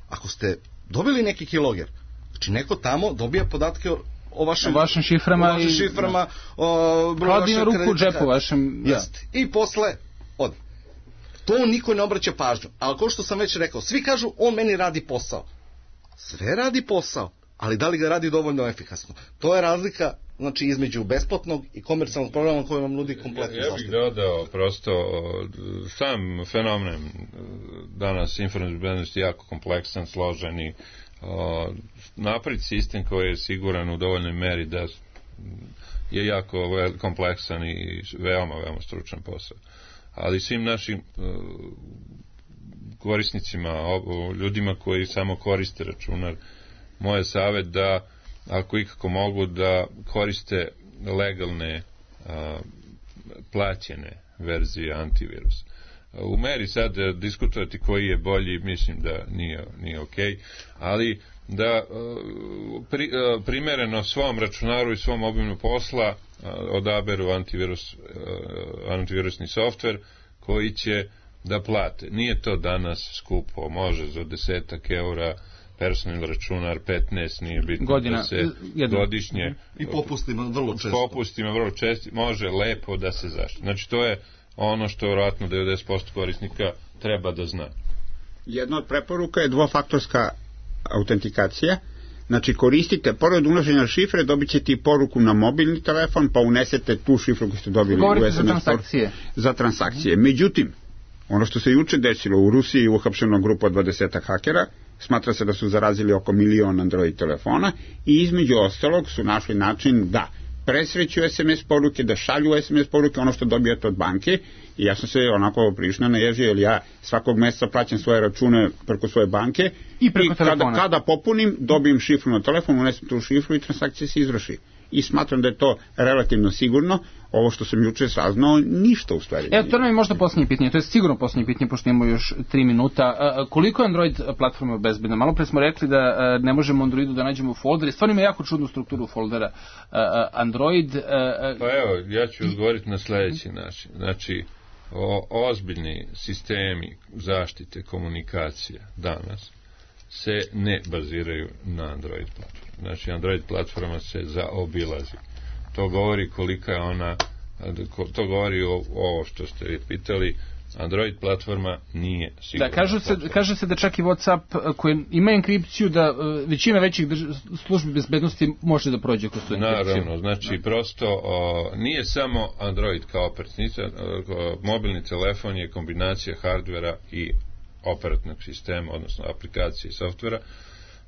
Ako ste dobili neki keyloger, znači neko tamo dobija podatke o, o vašim, o vašim šiframa, o vašim šiframa, o broju vašeg ruku kredita. U džepu vašem, da. Jeste. I posle ode. To niko ne obraća pažnju. Ali kao što sam već rekao, svi kažu, on meni radi posao. Sve radi posao, ali da li ga radi dovoljno efikasno? To je razlika, znači, između besplatnog i komercijalnog programa koji vam nudi kompletnu ja, ja bih dodao prosto sam fenomen danas informativne bezbednosti jako kompleksan, složen i napraviti sistem koji je siguran u dovoljnoj meri da je jako kompleksan i veoma, veoma stručan posao. Ali svim našim korisnicima, ljudima koji samo koriste računar, moj je savjet da, ako ikako mogu, da koriste legalne a, plaćene verzije antivirusa. U meri sad diskutovati koji je bolji, mislim da nije, nije okej, ali da pri, primereno svom računaru i svom obimu posla odaberu antivirus, antivirusni softver koji će da plate. Nije to danas skupo, može za desetak eura personalni računar, petnaest, nije bitno Godina, da se jedno. Godišnje i popustima vrlo često. Popustima vrlo često, može lepo da se zaštiti. Znači to je ono što vjerojatno devedeset posto korisnika treba da zna. Jedna od preporuka je dvofaktorska autentikacija. Znači koristite, pored unošenja šifre, dobit ćete i poruku na mobilni telefon, pa unesete tu šifru koju ste dobili Govorite u es em es za transakcije. Za transakcije. Međutim, ono što se juče desilo u Rusiji, uhapšena grupa od dvadesetak hakera, smatra se da su zarazili oko milion Android telefona i između ostalog su našli način da presreću es em es poruke, da šalju es em es poruke, ono što dobijate od banke. I ja sam se onako prilično naježio, jer ja svakog mjeseca plaćam svoje račune preko svoje banke i, preko i kada, kada popunim, dobijem šifru na telefon, unesem tu šifru i transakcija se izvrši. I smatram da je to relativno sigurno. Ovo što sam juče saznao, ništa u stvari. Evo, to nam je možda posljednje pitanje, to je sigurno posljednje pitanje, pošto imamo još tri minuta. A, koliko je Android platforma bezbedna? Malo pre smo rekli da a, ne možemo Androidu da nađemo foldere. Stvarno ima jako čudnu strukturu foldera. A, a, Android... A, a, pa evo, ja ću odgovoriti na sljedeći način. Znači, o, ozbiljni sistemi zaštite komunikacija danas se ne baziraju na Android platformi. Znači, Android platforma se zaobilazi. To govori kolika je ona, to govori o ovo što ste pitali, Android platforma nije sigurna. Da, kažu se, kaže se da čak i WhatsApp koji ima enkripciju, da većina većih drž, službi bezbednosti može da prođe kroz tu enkripciju. Naravno, znači da. prosto o, nije samo Android kao operativnica, mobilni telefon je kombinacija hardvera i operativnog sistema, odnosno aplikacije i softvera.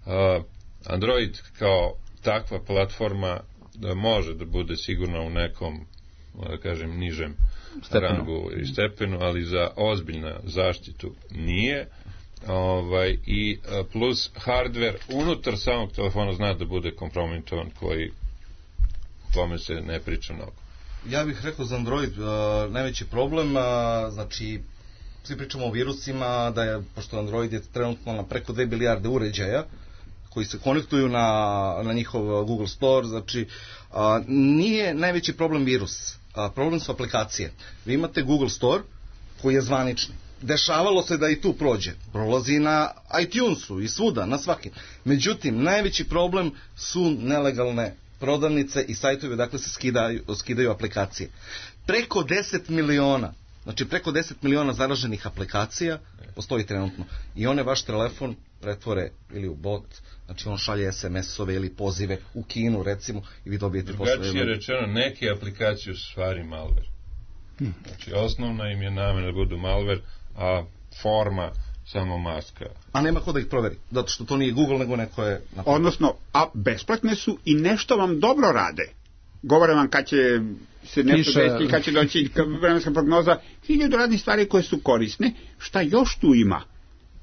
O, Android kao takva platforma da može da bude sigurno u nekom, da kažem, nižem stepenu. rangu i stepenu, ali za ozbiljnu zaštitu nije. Ovaj, i plus hardware unutar samog telefona zna da bude kompromitovan, koji tome se ne priča mnogo. Ja bih rekao za Android uh, najveći problem, uh, znači svi pričamo o virusima, da je, pošto Android je trenutno na preko dve milijarde uređaja koji se konektuju na, na njihov Google Store, znači a, nije najveći problem virus, a, problem su aplikacije. Vi imate Google Store koji je zvanični. Dešavalo se da i tu prođe. Prolazi na iTunesu i svuda, na svakim. Međutim, najveći problem su nelegalne prodavnice i sajtovi, dakle se skidaju, skidaju aplikacije. Preko deset miliona, znači preko deset miliona zaraženih aplikacija postoji trenutno. I one vaš telefon pretvore ili u bot, znači on šalje es em es-ove ili pozive u Kinu recimo i vi dobijete posle. Drugačije rečeno, neke aplikacije su stvari malware. Hmm. Znači osnovna im je namena da budu malware, a forma samo maska. A nema ko da ih proveri, zato što to nije Google nego neko je... Napravio. Odnosno, a besplatne su i nešto vam dobro rade. Govore vam kad će se nešto desiti, kad će doći vremenska prognoza, hiljadu radnih stvari koje su korisne. Šta još tu ima?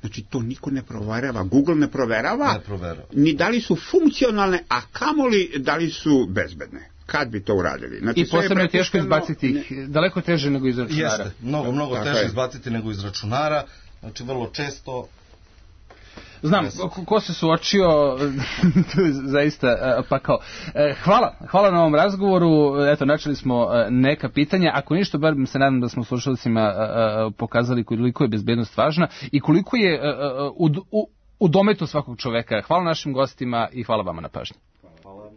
Znači, to niko ne proverava, Google ne proverava, ne proverava. Ni da li su funkcionalne, a kamoli da li su bezbedne. kad bi to uradili. Znači, I posebno je teško prepušteno- izbaciti ih, daleko teže nego iz računara. Jeste, mnogo, mnogo Tako teže je. izbaciti nego iz računara, znači vrlo često. Znam, ko, ko se suočio, to je zaista uh, pakao. E, hvala, hvala na ovom razgovoru, eto, načeli smo uh, neka pitanja, ako ništa, bar se nadam da smo slušalcima uh, uh, pokazali koliko je bezbednost važna i koliko je uh, uh, u, u, u dometu svakog čoveka. Hvala našim gostima i hvala vama na pažnji. Hvala.